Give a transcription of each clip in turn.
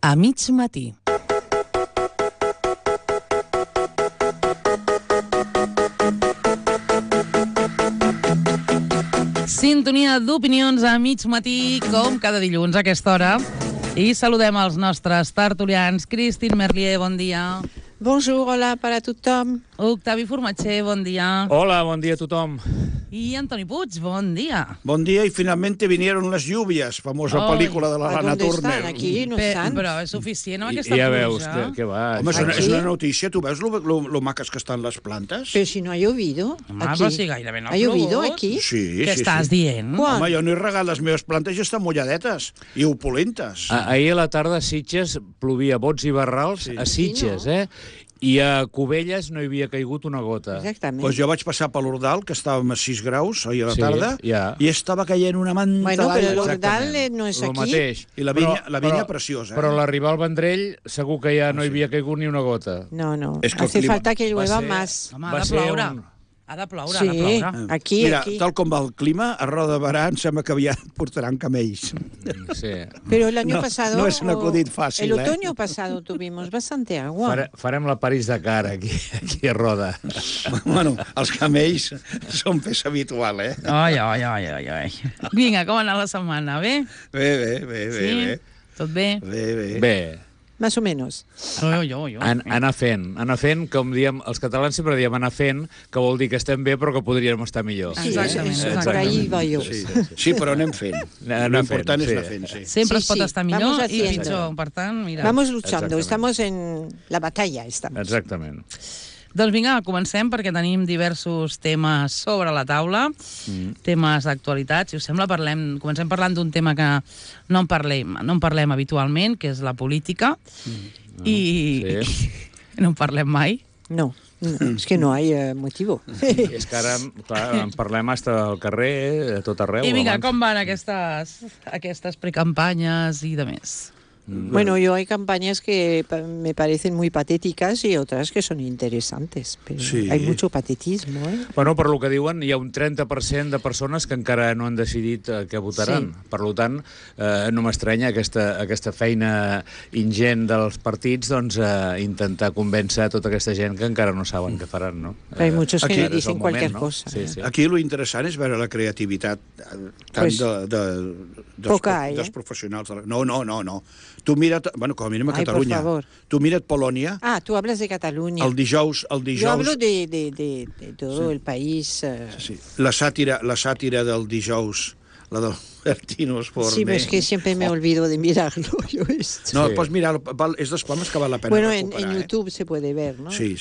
a mig matí. Sintonia d'opinions a mig matí, com cada dilluns a aquesta hora. I saludem els nostres tertulians. Christine Merlier, bon dia. Bonjour, hola per a tothom. Octavi Formatger, bon dia. Hola, bon dia a tothom. I Antoni Puig, bon dia. Bon dia, y finalmente vinieron las lluvias, famosa pel·lícula de la Lana Turner. Aquí no estan. Però és suficient amb aquesta Ja pluja. veus que va. Home, és una notícia, tu veus lo maques que estan les plantes? Pero si no ha llovido Home, aquí. però si gairebé no ha ¿Ha llovido plogut. aquí? Sí, Què sí, estàs sí. dient? Quan? Home, jo no he regat les meves plantes i estan mulladetes i opulentes. Ahir a la tarda a Sitges plovia bots i barrals, a Sitges, I a Cubelles no hi havia caigut una gota. Exactament. Pues jo vaig passar per l'Ordal, que estàvem a 6 graus ahir a la Sí, tarda, ja. i estava caient una manta Bueno, però d'aigua. l'Ordal no és El aquí. mateix. I la vinya preciosa. Però a l'arribar al Vendrell segur que ja no hi havia caigut ni una gota. No, no. És que el Hace clima falta que va llueva ser- más. Home, Va ha de ser ploure. un- Ha de ploure, Sí, ha de ploure. aquí, Mira, aquí. tal com va el clima, a Roda de Barà em sembla que aviat portaran camells. Sí. Pero el año No, pasado... no es un acudit fácil, El otoño pasado tuvimos bastante agua. Farem la París-Dakar aquí a Roda. Bueno, els camells són peça habitual, Ai, ai, ai, ai, ai. Vinga, com ha anat la setmana? Bé? Bé. Sí? Tot bé? Bé, Más o menos. Jo. anar fent, com diem, els catalans sempre diem anar fent, que vol dir que estem bé però que podríem estar millor. Sí, Exactament, eso, exactament. por ahí va yo. Sí, però anem fent. Anem L'important fent, és anar sí. fent, sí. Sempre Sí, es pot sí, estar vamos millor i haciendo. pitjor. Per tant, mira. Vamos luchando, Exactament. estamos en la batalla. Estamos. Exactament. Doncs vinga, comencem perquè tenim diversos temes sobre la taula, temes d'actualitat. Si us sembla, comencem parlant d'un tema que no en parlem habitualment, que és la política, i no en parlem mai. No, es que no hay motivo. És que ara, clar, en parlem hasta al carrer, a tot arreu. I vinga, abans. com van aquestes precampanyes i de més? Bueno, hay campañas que me parecen muy patéticas y otras que son interesantes, pero Sí. hay mucho patetismo, Bueno, per lo que diuen, hi ha un 30% de persones que encara no han decidit què votaran. Sí. Per tant, no m'estranya aquesta feina ingent dels partits, doncs, intentar convèncer a tota aquesta gent que encara no saben què faran, no? Hay muchos que aquí me és el dicen moment, cualquier no? cosa. Sí, sí. Aquí lo interessant és veure la creativitat tant Pues, poca hay, dels professionals. No. Tu mira't, bueno, com a mínim a Ai, por Catalunya. favor. Tu mira't Polònia, Ah, tú hablas de Cataluña. el dijous... Yo hablo de todo el país. Sí, la sàtira del dijous, la del Bertino Osborne. Sí, pero es que siempre me olvido de mirarlo. Yo esto. No, Sí. pots mirar, és dels poemes que val la pena Bueno, recuperar. en YouTube se puede ver, ¿no? Sí.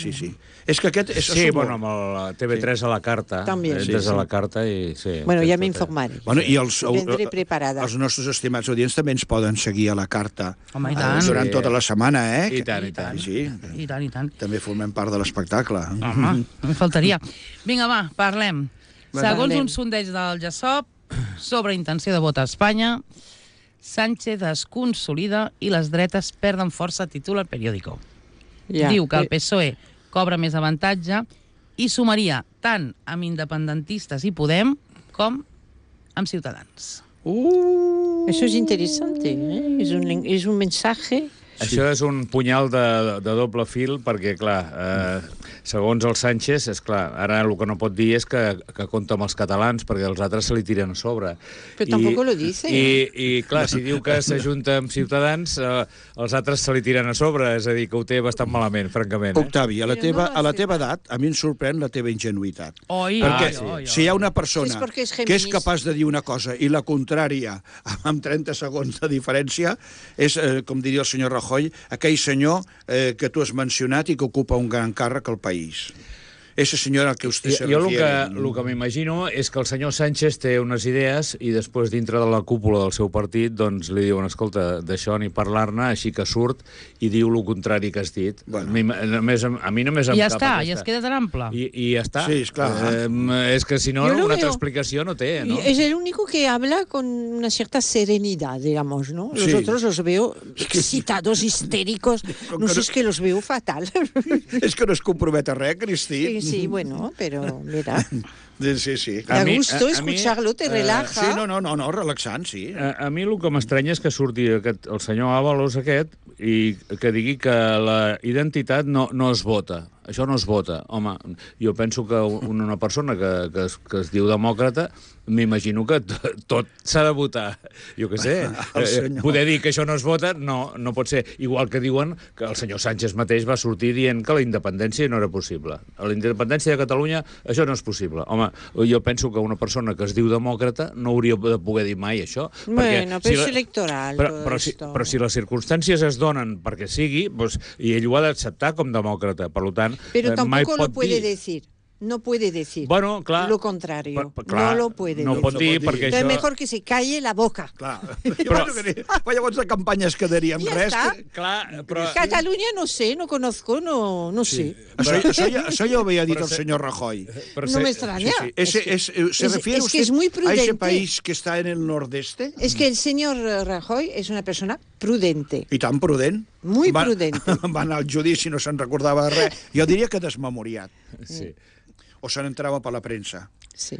És que aquest... Sí, bueno, amb el TV3 a la carta. També. Entres Sí. a la carta i... Sí, Bueno, ya me tot, informaré. Bueno, i Vendré preparada. els nostres estimats audients també ens poden seguir a la carta Home, i tant. durant Sí. tota la setmana, I tant, i tant. Sí, I tant. també formem part de l'espectacle. Home, em faltaria. Vinga, va, parlem. Segons Parlem. un sondeig del GESOP sobre intenció de vot a Espanya, Sánchez es consolida i les dretes perden força, titula el periòdico. Ya. Diu que el PSOE cobra més avantatge i sumaria tant amb independentistes i Podem com amb Ciutadans. Eso es interesante, ¿eh? Es un mensaje. Això és un punyal de doble fil perquè, clar, segons el Sánchez, és clar, ara el que no pot dir és que compta amb els catalans perquè els altres se li tiren a sobre. Però tampoc lo dice. I clar, si diu que s'ajunta amb Ciutadans, els altres se li tiren a sobre, és a dir, que ho té bastant malament, francament. Octavi, a la Però no teva va ser- edat, a mi em sorprèn la teva ingenuïtat. Oi, Perquè oi. si hi ha una persona És perquè és que és feminista. capaç de dir una cosa i la contrària amb 30 segons de diferència, és, com diria el senyor Rajoy, aquell senyor que tu has mencionat i que ocupa un gran càrrec al país. Ese señor al que usted se Jo refiere. el que m'imagino és que el senyor Sánchez té unes idees i després dintre de la cúpula del seu partit doncs li diuen, escolta, d'això ni parlar-ne, així que surt i diu el contrari que has dit. Bueno. A mi només em I ja cap està, aquesta. i es queda tan ample. I ja està. Sí, esclar. És que si no, Yo lo una altra veo. explicació no té, no? Es el único que habla con una cierta serenidad, digamos, ¿no? Los Sí. otros los veo excitados, histéricos. No sé, es que los veo fatal. És que no es compromet a res, Cristi. Sí, bueno, pero mira, Sí, sí. da mi- gusto a mi, escucharlo, te relaja. Sí, no, relaxant, sí. A mi el que m'estranya és que surti el senyor Ábalos aquest i que digui que la identitat no es vota. Això no es vota. Home, jo penso que una persona que es diu demòcrata, m'imagino que tot s'ha de votar. Jo què sé. Poder dir que això no es vota no pot ser. Igual que diuen que el senyor Sánchez mateix va sortir dient que la independència no era possible. A la independència de Catalunya això no és possible. Home, jo penso que una persona que es diu demòcrata no hauria de poder dir mai això. Bueno, però és electoral, però si les circumstàncies es donen perquè sigui, doncs, i ell ho ha d'acceptar com demòcrata, per tant, Pero mai tampoco pot lo puede dir. decir. No puede decir Bueno, clar, lo contrario. clar, no lo puede no decir. pot dir perquè Entonces això... mejor que se calle la boca. Clar. Però llavors de campanya es quedaria amb Ja res. està. Clar, però... Cataluña no sé, no conozco, no sé. Això ja ho havia dit Però el senyor Rajoy. No me extraña. ¿Se refiere es que usted es muy a prudente. ese país que está en el nordeste? Es que el señor Rajoy es una persona prudente. I tan prudent. Muy prudente. Va anar al judici, no se'n recordava de res. Jo diria que desmemoriat. Sí. O se n'entrava per la premsa. Sí.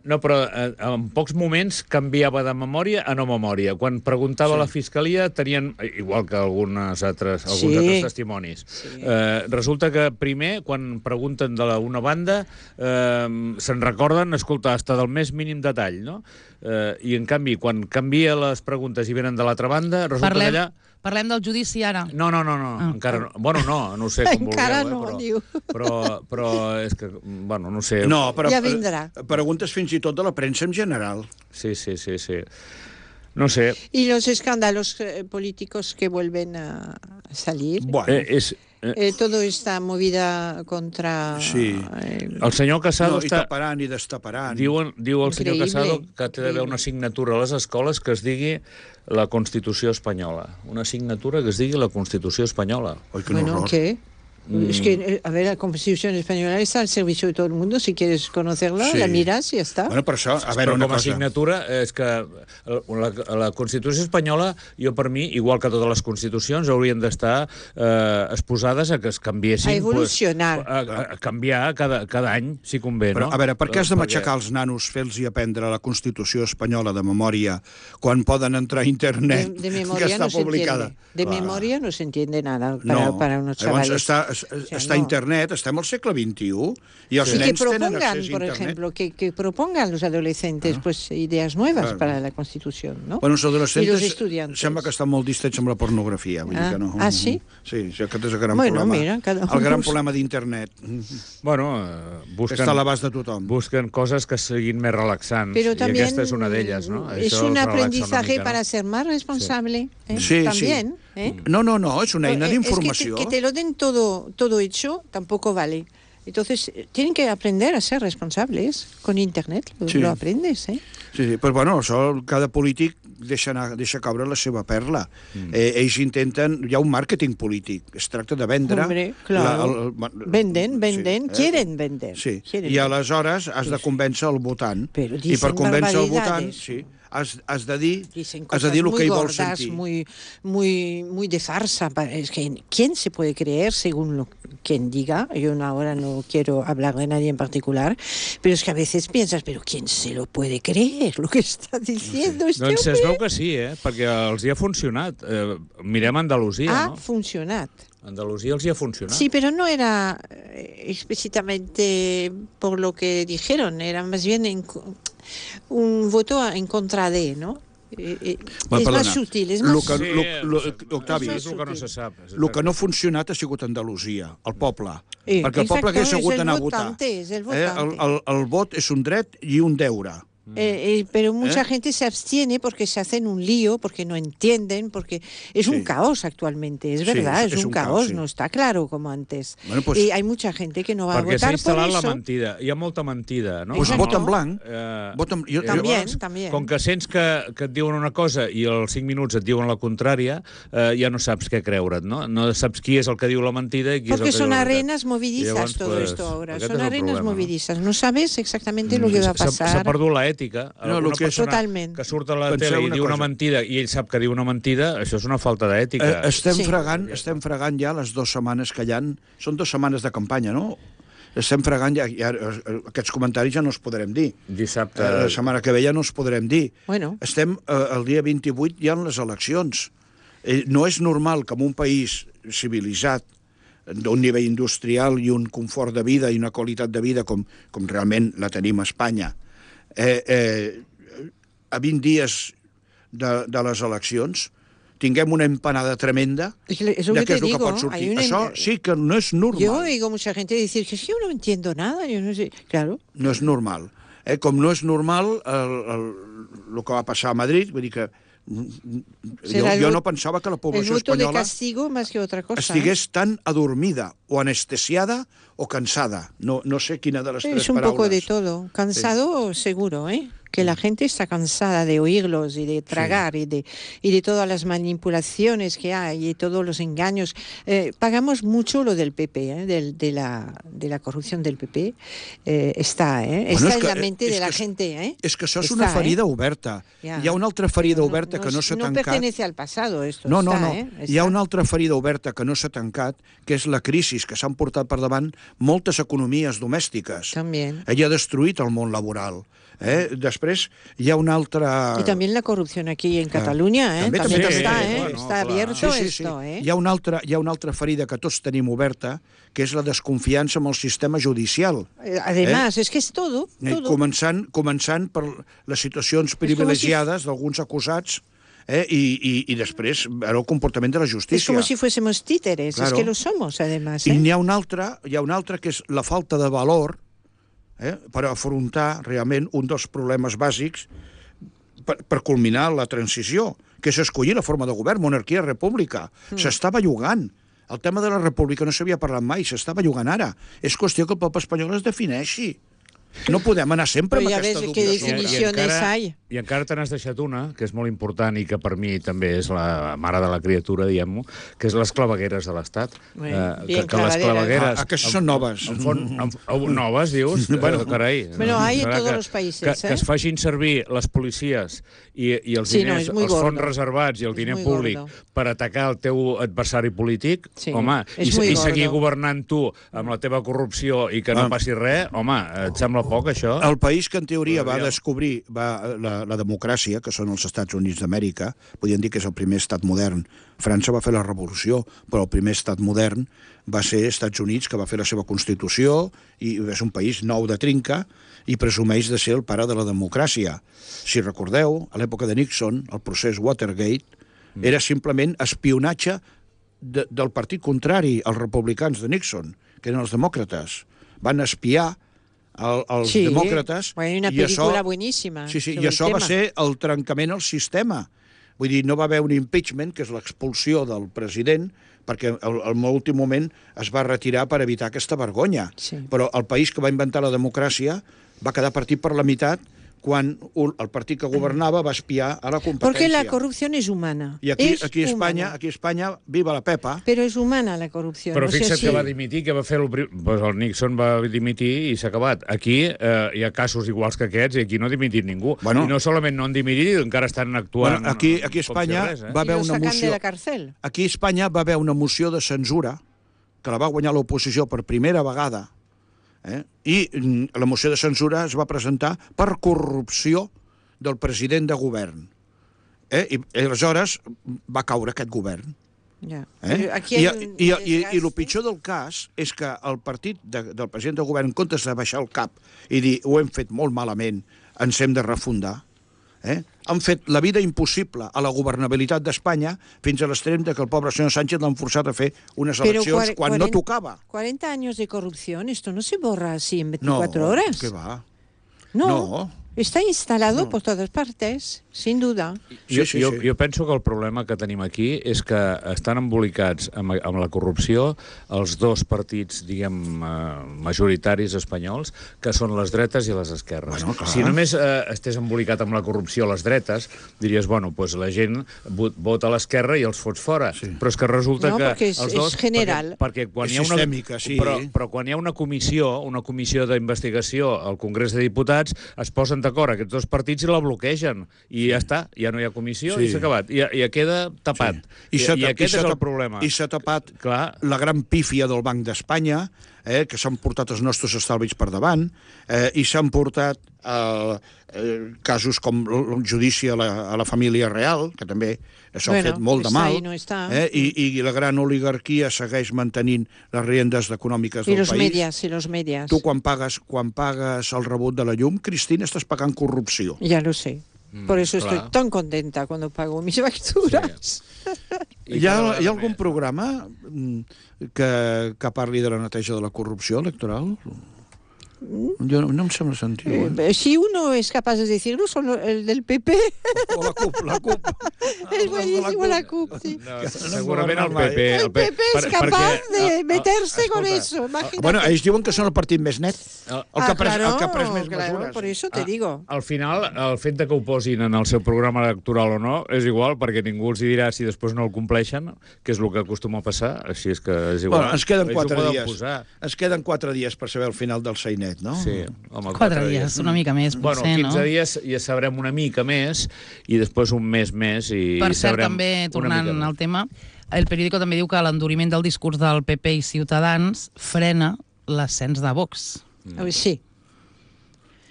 No, però en pocs moments canviava de memòria a no memòria. Quan preguntava a la Fiscalia tenien, igual que alguns altres testimonis. Sí. Resulta que primer, quan pregunten de una banda, se'n recorden, escolta, hasta del més mínim detall, no? I en canvi, quan canvia les preguntes i venen de l'altra banda, resulta que allà... Parlem del judici ara. No, encara no. Bueno, no ho sé com Encara vulgueu, no, diu. però és que, bueno, no sé. No, però Ja vindrà. preguntes fins i tot de la premsa en general. Sí. No sé. Y los escándalos políticos que vuelven a salir. Bueno, Todo esta movida contra... Sí. El senyor Casado i taparan i destaparan. Diu el senyor Increïble, Casado que té d'haver increïble. una assignatura a les escoles que es digui la Constitució espanyola. Una assignatura que es digui la Constitució espanyola. Ai, quin Bueno, horror. ¿qué? Es que, a ver, la Constitución española está al servicio de todo el mundo. Si quieres conocerla, Sí. la miras y ya está. Bueno, per això, a veure, Però una com a cosa. assignatura és que la Constitució espanyola, jo per mi, igual que totes les constitucions, haurien d'estar exposades a que es canviessin... A evolucionar. A canviar cada any, si convé, Però, no? a veure, per què has de matxacar els nanos, fer-los aprendre la Constitució espanyola de memòria quan poden entrar a internet De que memoria està no se publicada? entiende. De memoria no se entiende nada para unos Llavors chavales. està a internet, estem al segle XXI i els Y que nens tenen propongan, accés a por internet. ejemplo, que propongan los adolescentes pues ideas nuevas para la Constitución, ¿no? Bueno, els Y los adolescents estudiantes. sembla que estan molt distrets amb la pornografia. Vull dir que no. Sí? Sí, aquest és el gran Bueno, problema. mira, cada el gran uno- problema d'internet. Bueno, Que està a l'abast de tothom. busquen coses que siguin més relaxants. Pero I también aquesta és una d'elles, no? es Això un els relaxa aprendizaje una mica, para no? ser más responsable. Sí, También. No, és una eina Es que d'informació. que te lo den todo hecho tampoco vale. Entonces, tienen que aprender a ser responsables. Con Internet Sí. lo aprendes, ¿eh? Sí, però bueno, això cada polític deixa caure la seva perla. Ells intenten... Hi ha un màrqueting polític. Es tracta de vendre... Hombre, claro. Venden, quieren vender. Sí, quieren i vender. aleshores has de convèncer el votant. Però I dicen per convèncer el votant, barbaridades. sí, has de dir Dicen el cosas que muy ell vol gordas, sentir. muy de farsa. Es que, ¿quién se puede creer según quien diga? Yo ahora no quiero hablar de nadie en particular, pero es que a veces piensas, pero ¿quién se lo puede creer lo que está diciendo este Doncs es hombre? veu que sí, perquè els hi ha funcionat. Mirem Andalusia, Ha no? funcionado. Andalusia els hi ha funcionat. Sí, pero no era explícitamente por lo que dijeron, era más bien un voto en contra de, ¿no? Es más sutil, és més... Octavi, és el que no se sap. el que no ha funcionat ha sigut Andalusia, el poble. Sí, perquè el poble hagués hagut d'anar a votar. És el votante. El vot és un dret i un deure. Pero mucha gente se abstiene porque se hacen un lío, porque no entienden, porque es un caos actualmente, es verdad, es un caos, no está claro como antes. Bueno, pues, y hay mucha gente que no va a perquè s'ha votar por instal·lat la eso. mentida. Hi ha molta mentida, no? Doncs Exacto. vota en blanc. También. Com que sents que et diuen una cosa i als 5 minuts et diuen la contrària, ja no saps què creure't, no? No saps qui és el que diu la mentida i qui Porque és el que son diu la veritat. arenas movedizas Llavors, todo pues, esto ahora, aquest son és el arenas problema, movedizas. No sabes exactamente lo que va a pasar. S'ha perdut l'ètica. No, Una que persona Totalment. que surt a la Penseu tele i una diu una cosa. mentida i ell sap que diu una mentida, això és una falta d'ètica. Estem Sí. fregant ja les 2 setmanes que hi ha. Són 2 setmanes de campanya, no? estem fregant, aquests comentaris ja no els podrem dir. Dissabte... La setmana que ve ja no els podrem dir. Bueno. Estem, el dia 28 hi ha les eleccions. No és normal que en un país civilitzat, d'un nivell industrial i un confort de vida i una qualitat de vida com realment la tenim a Espanya, a 20 dies de les eleccions tinguem una empanada tremenda de qué es lo que pot sortir. Això sí que no és normal. Yo oigo mucha gente decir que yo no entiendo nada, yo no sé, claro. No és normal. Com no és normal el que va passar a Madrid, vull dir que jo no pensava que la població espanyola el voto de castigo más que otra cosa, estigués tan adormida o anestesiada o cansada. No sé quina de les tres paraules. Es un poco de todo. Cansado seguro, que la gente está cansada de oírlos y de tragar y de todas las manipulaciones que hay y todos los engaños. Pagamos mucho lo del PP, de la corrupción del PP. Está en la mente de la gente. És que això és una ferida oberta. Hi ha una altra ferida oberta que no s'ha tancat. No pertenece al pasado, esto. No. Hi ha una altra ferida oberta que no s'ha tancat, que és la crisi que s'han portat per davant moltes economies domèstiques. También. Ella ha destruït el món laboral. Després hi ha una altra... Y también la corrupción aquí en Cataluña, también está, está abierto esto. Hi ha una altra ferida que tots tenim oberta, que és la desconfiança amb el sistema judicial. Además, es que es todo. Començant per les situacions privilegiades d'alguns acusats, y després el comportament de la justícia. Es como si fuésemos títeres, claro. Es que lo somos, además. I hi ha una altra que és la falta de valor per afrontar realment un dels problemes bàsics per culminar la transició, que és escollir la forma de govern, monarquia, república. S'està bellugant. El tema de la república no s'havia parlat mai, s'està bellugant ara. És qüestió que el poble espanyol es defineixi. No podem anar sempre amb aquesta dubte. I encara te n'has deixat una, que és molt important i que per mi també és la mare de la criatura, diguem-ho, que és les clavegueres de l'Estat. Que les clavegueres... Aquestes són noves. Noves, dius? Bueno, carai. Bueno, hay en todos los países. Que es facin servir les policies i els diners, els fons reservats i el diner públic per atacar el teu adversari polític, home, i seguir governant tu amb la teva corrupció i que no passi res, home, et sembla poc, això? El país que en teoria va descobrir la democràcia, que són els Estats Units d'Amèrica, podríem dir que és el primer estat modern. França va fer la revolució, però el primer estat modern va ser Estats Units, que va fer la seva Constitució, i és un país nou de trinca, i presumeix de ser el pare de la democràcia. Si recordeu, a l'època de Nixon, el procés Watergate era simplement espionatge del partit contrari als republicans de Nixon, que eren els demòcrates. Van espiar els demòcrates, una pel·lícula boníssima. I això va ser el trencament al sistema. Vull dir, no va haver un impeachment, que és l'expulsió del president, perquè al últim moment es va retirar per evitar aquesta vergonya. Però el país que va inventar la democràcia va quedar partit per la meitat quan el partit que governava va espiar a la competència. Porque la corrupción es humana. I aquí a Espanya, viva la Pepa. Pero es humana la corrupción. Però fixa't que va dimitir, que va fer el Nixon va dimitir i s'ha acabat. Aquí hi ha casos iguals que aquests i aquí no ha dimitit ningú. I no solament no han dimitit, encara estan actuant... Aquí a Espanya va haver una moció... Aquí a Espanya va haver una moció de censura que la va guanyar l'oposició per primera vegada, i la moció de censura es va presentar per corrupció del president de govern. I aleshores va caure aquest govern. I el pitjor del cas és que el partit del president de govern, en comptes de baixar el cap i dir ho hem fet molt malament, ens hem de refundar, han fet la vida impossible a la governabilitat d'Espanya fins a l'extrem que el pobre senyor Sánchez l'han forçat a fer unes eleccions quan no tocava. 40 años de corrupción, esto no se borra así en 24 horas. No, ¿qué va? No. Está instalado por todas partes, sin duda. Jo penso que el problema que tenim aquí és que estan embolicats amb la corrupció els dos partits, diguem, majoritaris espanyols, que són les dretes i les esquerres. Si només estés embolicat amb la corrupció a les dretes, diries, bueno, doncs la gent vota a l'esquerra i els fots fora. Però és que resulta que els dos... És general. Perquè quan hi ha sistèmica, sí. Però quan hi ha una comissió d'investigació al Congrés de Diputats, es posen d'acord aquests dos partits i la bloquegen. I I ja està, ja no hi ha comissió Sí. i s'ha acabat. I ja queda tapat. Sí. I aquest és el problema. I s'ha tapat Clar. la gran pífia del Banc d'Espanya, que s'han portat els nostres estalvis per davant, i s'han portat casos com el judici a la família real, que també s'ha fet molt de està mal, i no està. i la gran oligarquia segueix mantenint les riendes econòmiques I del los país. medias, i los medias. Tu, quan pagues el rebut de la llum, Cristina, estàs pagant corrupció. Ya lo sé. Por eso claro. estoy tan contenta cuando pago mis facturas. Hi ha algun programa que parli de la neteja de la corrupció electoral? Jo no em sembla sentir-ho, Si uno es capaz de decirlo, son el del PP. O la CUP. Es buenísimo la CUP, sí. No, segurament el PP. El PP es capaz de meterse con escolta, eso, imagínate. Bueno, ells diuen que són el partit més net, el que ha pres més claro, mesures. por eso te digo. Al final, el fet de que ho posin en el seu programa electoral o no és igual, perquè ningú els hi dirà si després no el compleixen, que és el que acostuma a passar, així és que és igual. Bueno, ens queden Ells ho 4 poden dies. posar. Ens queden 4 dies per saber el final del Sainet, no? Sí, home, 4 dies, una mica més, Bueno, potser, 15 no? dies ja sabrem una mica més i després un mes més i Per cert, sabrem també, una tornant mica més. al tema, el periòdico també diu que l'enduriment del discurs del PP i Ciutadans frena l'ascens de Vox. Sí,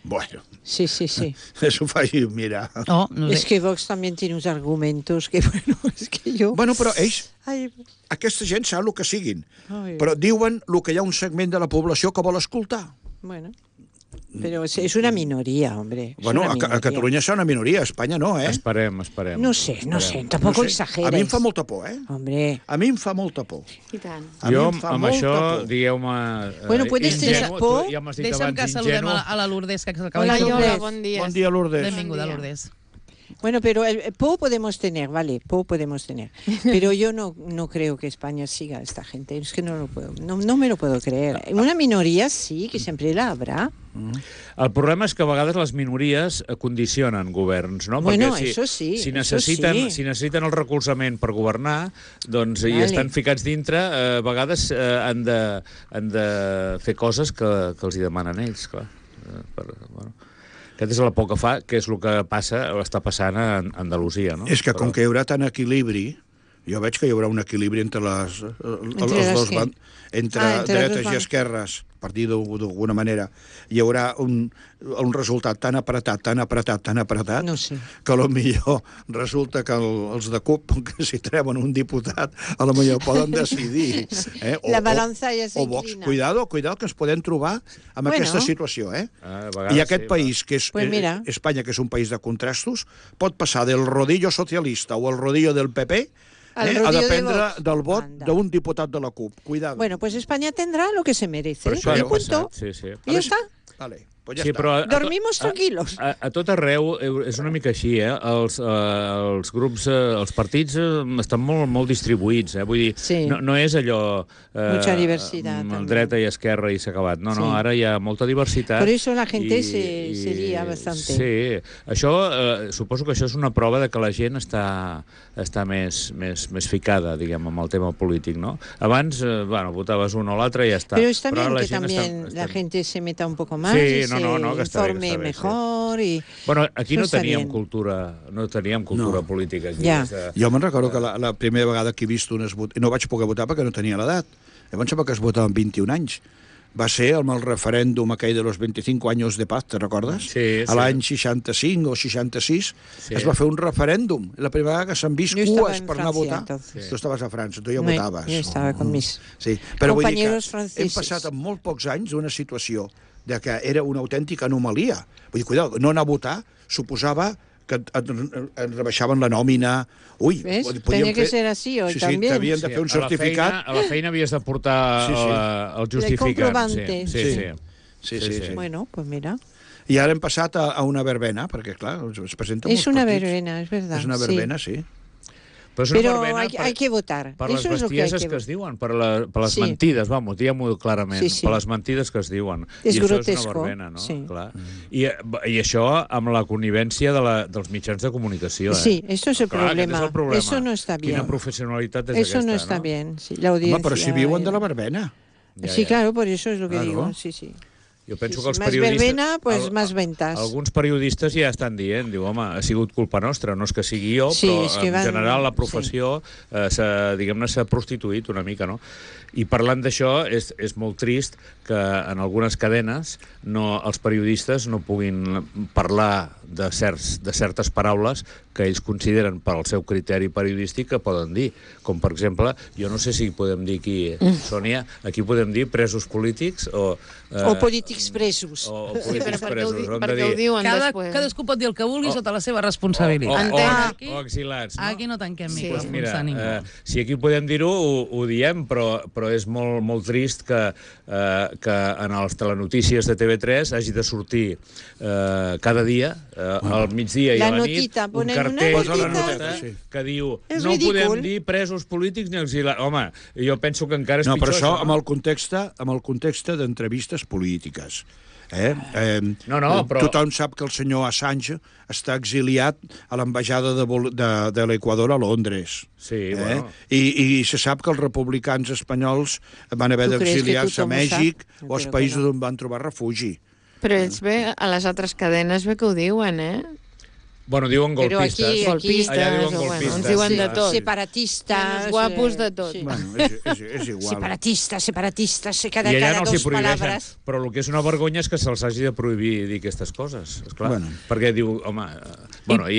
Bueno, sí. eso faci mirar. Oh, no sé. Es que Vox también tiene unos argumentos que, bueno, es que yo... Bueno, però ells, Ay, aquesta gent sap el que siguin, Ai. però diuen el que hi ha un segment de la població que vol escoltar. bueno. Pero es una minoría, hombre. Es Bueno, una a minoría. Catalunya és una minoria, a Espanya no, Esperem. No sé, tampoco No sé. exageres. A mi em fa molta por, Hombre, A mi em fa molta por. I tant. A mi Jo, em fa amb molta això, por. digueu-me... Bueno, puedes tener ingenu, por. tu ja m'has dit Deixa'm que abans saludem ingenu. a la Lourdes, que acaba Hola, de Lourdes. sortir. Hola, bon dia. Bon dia, Lourdes. Benvinguda, Lourdes. Bueno, pero el PO podemos tener, vale, PO podemos tener. Pero yo no creo que España siga a esta gente. Es que no lo puedo, no me lo puedo creer. Una minoría sí, que siempre la habrá. El problema és que a vegades les minories condicionen governs, no? Bueno, Perquè eso sí, si eso necessiten, sí. si necessiten el recolzament per governar, doncs i Vale. estan ficats dintre, a vegades han de fer coses que els hi demanen ells, clar. Bueno. Aquest és la por que fa, que és el que està passant a Andalusia, no? És que com que hi haurà tant equilibri, jo veig que hi haurà un equilibri entre els dos bancs, entre dretes i esquerres, per dir d'alguna manera. Hi haurà un resultat tan apretat, No sé. que potser resulta que els de CUP, que si treuen un diputat, a lo millor poden decidir. La balança ja o Vox. s'inclina. Cuidado, que ens podem trobar amb aquesta situació, A vegades I aquest sí, país, que és Pues mira. Espanya, que és un país de contrastos, pot passar del rodillo socialista o el rodillo del PP Al a rodillo de dependre Vox. del vot Anda. d'un diputat de la CUP. Cuidado. Bueno, pues España tendrá lo que se merece. Per això Y ha punto. passat, sí. Y ya está. Vale, pues ja Sí, està. però Dormimos tranquilos. A tot arreu és una mica així, els grups, els partits estan molt distribuïts, Vull dir, Sí. no és allò... Mucha diversidad también. Dreta i esquerra i s'ha acabat. No, Sí. ara hi ha molta diversitat. Por eso la gente se lía bastante. Sí, això, suposo que això és una prova de que la gent està més ficada, diguem, amb el tema polític, no? Abans, votaves un o l'altre i ja està. Pero está bien ara que gent también està- la gente se meta un poco más Sí, y no, se que està bé, informe està bé, mejor. Y Bueno, aquí Això no està teníem bien. cultura política. Aquí. Ja. Jo me'n recordo que la primera vegada que he vist unes votacions... No vaig poder votar perquè no tenia l'edat. Em sembla que es votava amb 21 anys. Va ser amb el referèndum aquell de los 25 anys de paz, te recordes? Sí, A l'any 65 o 66 Sí. es va fer un referèndum. La primera vegada que s'han vist Yo estaba cues en per anar a Francia, votar. entonces. Tu estaves a França, tu ja No, votaves. yo estaba con mis Sí, però vull dir que compañeros hem franceses. passat en molt pocs anys d'una situació de que era una autèntica anomalia. Vull dir, cuidado, no anar a votar suposava que et rebaixaven la nòmina. Ui, ¿Ves? podíem Tenía que fer- ser así hoy sí, también. t'havien de fer un certificat. A la feina havies de portar Sí, sí. el justificant. comprovante. Sí. Bueno, pues mira. I ara hem passat a una verbena, perquè, clar, es presenta Es molts una partits. verbena, es verdad. És una sí. verbena, sí. Però és una Pero verbena hay que votar. per les Eso es lo que hay bestieses que es diuen, per les Sí. mentides, diguem-ho clarament, Sí, sí. per les mentides que es diuen. És I això és grotesco, una verbena, no? sí. Clar. I això amb la connivència dels mitjans de comunicació, Sí, eso es el Clar, aquest problema. és el problema. Eso no está bien. Quina professionalitat és Eso aquesta, no está bien. Sí, la Home, audiencia. però si viuen de la verbena. Ja, Sí, ja. claro, por eso es lo que Claro. digo. Sí, sí. Jo penso que els Más periodistes... verbena, pues más ventas. Alguns periodistes ja estan dient, diu, home, ha sigut culpa nostra, no és que sigui jo, Sí, però és que en general la professió s'ha prostituït una mica, no? I parlant d'això, és molt trist que en algunes cadenes els periodistes no puguin parlar de certes paraules que ells consideren per al seu criteri periodístic que poden dir. Com, per exemple, jo no sé si podem dir aquí, Sònia, aquí podem dir presos polítics o polítics presos. O polítics presos. Perquè ho diuen després. Cadascú pot dir el que vulgui sota la seva responsabilitat. O exilats, no? Aquí no tanquem Doncs micròfons mira, a ningú. si aquí podem dir-ho, ho diem, però és molt trist que en les telenotícies de TV3 hagi de sortir cada dia, al migdia i a la nit, un cartell que diu no podem dir presos polítics ni exilats. Home, jo penso que encara és pitjor. No, però això amb el context d'entrevistes polítiques. Però... Tothom sap que el senyor Assange està exiliat a l'ambaixada de l'Equador a Londres. Sí, bueno. I se sap que els republicans espanyols van haver d'exiliar-se a Mèxic o als països on van trobar refugi. Però ells a les altres cadenes bé que ho diuen, Bueno, diuen golpistes. Golpistes, allà diuen o golpistes. ens diuen de tot. Separatistes. Guapos de tot. Sí. Bueno, és igual. Separatistes, cada I allà no els hi dos prohibeixen. palabras. Però el que és una vergonya és que se'ls hagi de prohibir dir aquestes coses, esclar. Bueno. Perquè diu, home...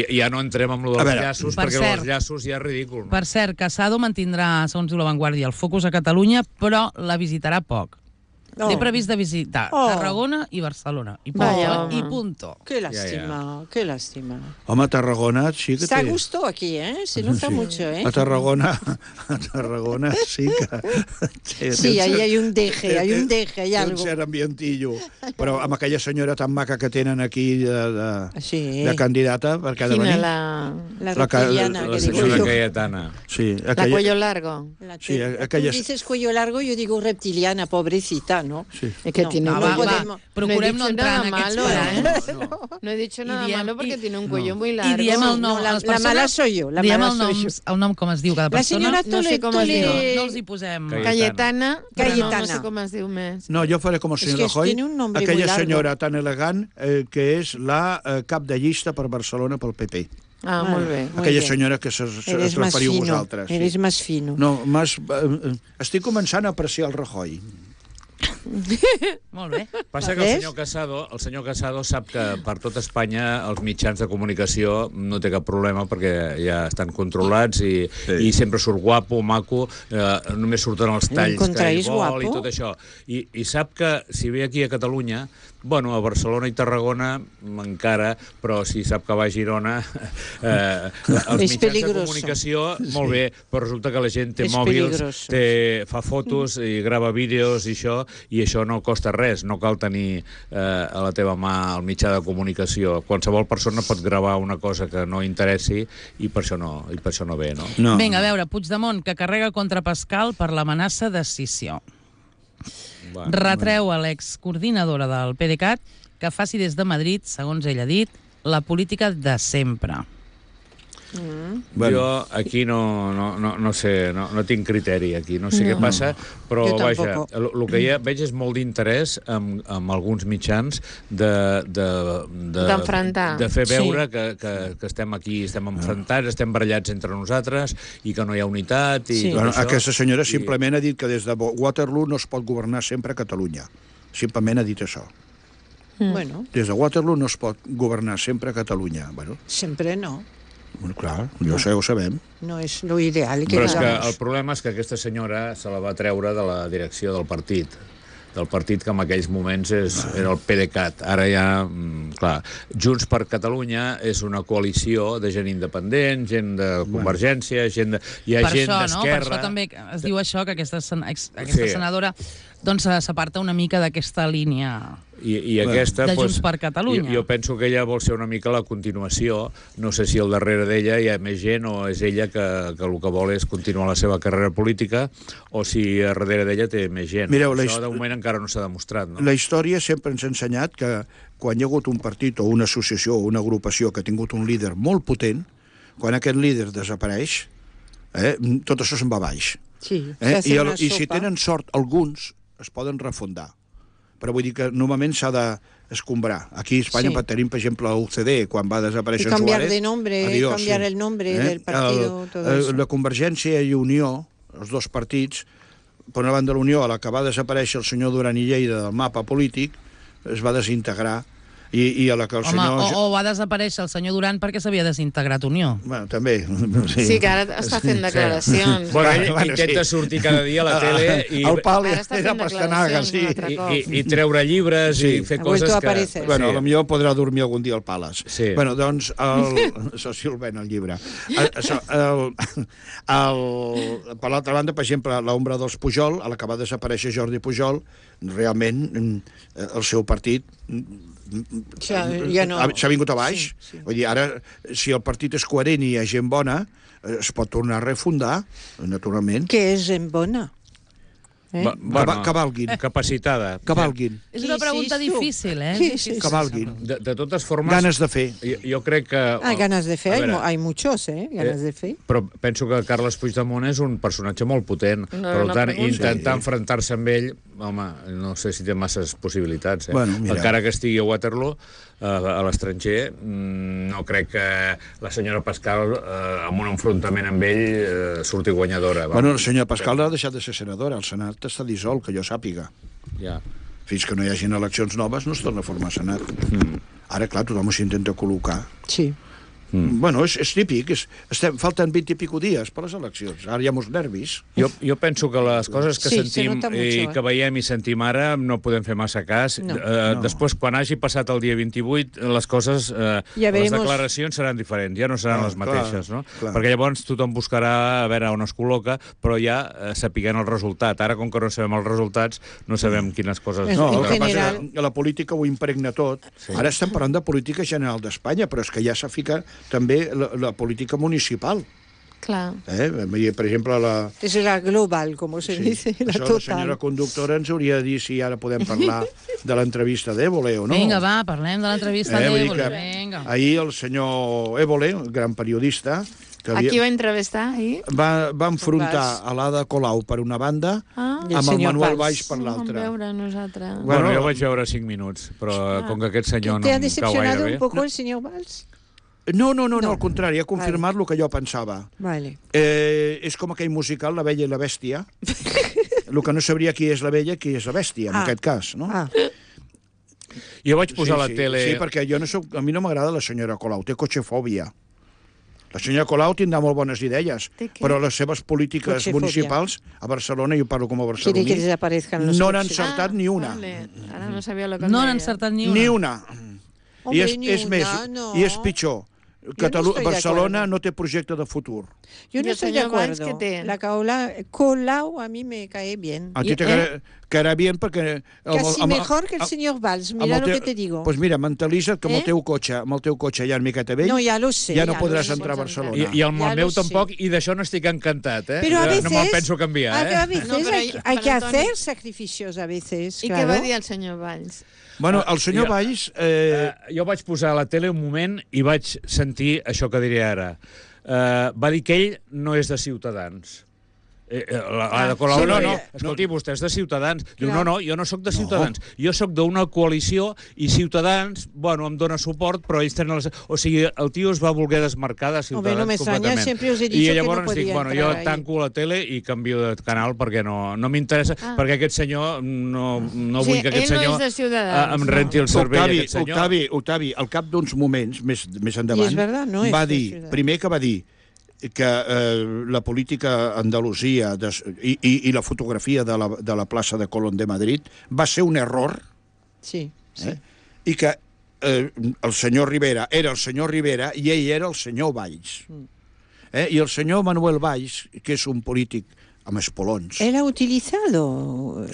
ja no entrem amb lo dels llaços, perquè els llaços ja és ridícul. No? Per cert, Casado mantindrà, segons diu La Vanguardia, el focus a Catalunya, però la visitarà poc. Té previst de visitar Tarragona i Barcelona. I punto. Qué lástima, qué lástima. Home, Tarragona sí que Está a gusto aquí, Se nota mucho, A Tarragona sí que... Sí, ahí hay un deje, hay algo. Un cert ambientillo. Però amb aquella senyora tan maca que tenen aquí de candidata, per cada venir... La reptiliana, la que digo senyora yo. Cayetana. Sí, La cuello largo. Sí, Tú dices cuello largo, yo digo reptiliana, pobrecita, ¿no? Sí. Es que tiene procurem no entrar en aquests malo, No he dicho nada malo porque tiene un cuello muy largo. I diem el nom. La mala soy yo. Diem el nom com es diu cada persona. La senyora no sé com es diu. No els hi posem... Cayetana, però no sé com es diu més. No, jo faré com el senyor Rajoy, aquella senyora tan elegant que és la cap de llista per Barcelona pel PP. Ah, molt bé. Aquella senyora que es referiu vosaltres. Eres más fino. No, estic començant a apreciar el Rajoy. Molt bé. Passa que el senyor Casado sap que per tot Espanya els mitjans de comunicació no té cap problema perquè ja estan controlats i sempre surt guapo, maco, només surten els talls que ell vol i tot això. I sap que si ve aquí a Catalunya, bueno, a Barcelona i Tarragona encara, però si sap que va a Girona, els mitjans de comunicació, molt bé, però resulta que la gent té mòbils, fa fotos i grava vídeos i això no costa res, no cal tenir a la teva mà el mitjà de comunicació. Qualsevol persona pot gravar una cosa que no interessi i per això no ve, no? Vinga, a veure, Puigdemont, que carrega contra Pascal per l'amenaça d'escissió. Retreu a l'excoordinadora del PDeCAT que faci des de Madrid, segons ell ha dit, la política de sempre. Jo aquí no sé, no tinc criteri aquí, no sé què passa, però vaja, el que ja veig és molt d'interès amb alguns mitjans d'enfrontar, de fer veure que estem aquí, estem enfrontats, estem barallats entre nosaltres i que no hi ha unitat. Aquesta senyora simplement ha dit que des de Waterloo no es pot governar sempre a Catalunya. Simplement ha dit això. Des de Waterloo no es pot governar sempre a Catalunya. Sempre no. Clar, ho sabem. No és lo ideal. Però és que el problema és que aquesta senyora se la va treure de la direcció del partit que en aquells moments era el PDeCAT. Ara ja, clar, Junts per Catalunya és una coalició de gent independent, gent de Convergència, gent d'Esquerra... Per això també es diu això, que aquesta senadora s'aparta una mica d'aquesta línia... I aquesta, de Junts per Catalunya. Jo penso que ella vol ser una mica la continuació. No sé si al darrere d'ella hi ha més gent o és ella que el que vol és continuar la seva carrera política o si a darrere d'ella té més gent. Mireu, això de moment encara no s'ha demostrat. No? La història sempre ens ha ensenyat que quan hi ha hagut un partit o una associació o una agrupació que ha tingut un líder molt potent, quan aquest líder desapareix, tot això se'n va baix. Sí, I si tenen sort, alguns es poden refundar. però vull dir que normalment s'ha d'escombrar. Aquí a Espanya tenim, per exemple, l'UCD, quan va desaparèixer Suárez. Cambiar de nombre, cambiar el nombre del partido, todo eso. La Convergència i Unió, els dos partits, per una banda l'Unió, a la que va desaparèixer el senyor Duran i Lleida del mapa polític, es va desintegrar, i a la que el senyor... o va desaparèixer el senyor Duran perquè s'havia desintegrat Unió. Bueno, també. Sí, que ara està fent declaracions. Bueno, ell intenta sortir cada dia a la tele i... El pal Ara està era fent pastanaga, sí. declaracions I treure llibres i fer coses que... aparecer. Bueno, potser podrà dormir algun dia al Palace. Sí. Bueno, doncs, això sí el ven, el llibre. Per l'altra banda, per exemple, l'ombra dels Pujol, a la que va desaparèixer Jordi Pujol, realment el seu partit ja no... s'ha vingut a baix. Sí. Vull dir, ara, si el partit és coherent i hi ha gent bona, es pot tornar a refundar, naturalment. Què és gent bona? Cavalguin. Capacitada. Cavalguin. És una pregunta difícil, Cavalguin. De totes formes... Ganes de fer. Jo crec que... ganes de fer, hay muchos, ganes de fer. Però penso que Carles Puigdemont és un personatge molt potent. Per tant, intentar enfrontar-se amb ell, home, no sé si té masses possibilitats. Bueno, encara que estigui a Waterloo, a l'estranger, no crec que la senyora Pascal, amb un enfrontament amb ell, surti guanyadora. Bueno, la senyora Pascal ha deixat de ser senadora. El Senat està dissolt, que jo sàpiga. Ja. Fins que no hi hagin eleccions noves no es torna a formar Senat. Ara, clar, tothom s'intenta col·locar. Sí. Bueno, és típic. Falten 20 i pico dies per les eleccions. Ara hi ha molts nervis. Jo penso que les coses que sentim i que veiem i sentim ara no podem fer massa cas. Després, quan hagi passat el dia 28, les coses, les declaracions seran diferents, ja no seran les mateixes, no? Perquè llavors tothom buscarà a veure on es col·loca, però ja sapiguent el resultat. Ara, com que no sabem els resultats, no sabem quines coses... No, el que passa és que la política ho impregna tot. Ara estem parlant de política general d'Espanya, però és que ja s'ha ficat també la política municipal. Clar. Per exemple, És la global, com se dice, la total. La senyora conductora ens hauria de dir si ara podem parlar de l'entrevista d'Évole o no. Vinga, va, parlem de l'entrevista d'Évole. Ahir el senyor Évole, el gran periodista... A qui va entrevistar ahir? Va enfrontar a l'Ada Colau per una banda amb el Manuel Valls per l'altra. Vam veure nosaltres. Bueno, jo vaig veure 5 minuts, però com que aquest senyor no em cau gaire bé... ¿Te ha decepcionado un poco el señor Valls? No, al contrari, ha confirmat el que jo pensava. Vale. És com aquell musical, La Bella i la Bèstia. El que no sabria qui és la Bella i qui és la Bèstia, en aquest cas, no? Jo vaig posar a la tele... Sí, perquè a mi no m'agrada la senyora Colau, té cotxefòbia. La senyora Colau tindrà molt bones idees, però les seves polítiques municipals a Barcelona, jo parlo com a barceloní, no n'ha encertat ni una. Ara no sabia el que no n'ha encertat ni una. Ni una. I és més, i és pitjor. Barcelona no té projecte de futur. Yo no estoy de acuerdo. La Colau a mí me cae bien. A ti te caerà bien perquè... Casi mejor que el señor Valls, mira lo que te digo. Pues mira, mentalitza't que amb el teu cotxe ja una miqueta vell, ja no podràs entrar a Barcelona. I amb el meu tampoc, i d'això no estic encantat, eh? Pero a veces, no me'l penso canviar, a veces hay que hacer sacrificios, a veces. I què va dir el senyor Valls? Bueno, el senyor Valls... Jo vaig posar a la tele un moment i vaig sentir això que diré ara. Va dir que ell no és de Ciutadans. La Colau, escolti, vostè és de Ciutadans. Diu, no, jo no sóc de Ciutadans. Jo sóc d'una coalició i Ciutadans, bueno, em dona suport, però ells tenen... O sigui, el tio es va voler desmarcar de Ciutadans completament. I llavors dic, bueno, jo tanco la tele i canvio de canal perquè no m'interessa, perquè aquest senyor, no vull que aquest senyor em renti el cervell, aquest senyor. Octavi, al cap d'uns moments, més endavant, va dir, primer que va dir, que la política a Andalusia i la fotografia de la plaça de Colón de Madrid va ser un error, i que el senyor Rivera era el senyor Rivera i ell era el senyor Valls. I el senyor Manuel Valls, que és un polític amb espolons. Él ha utilizado...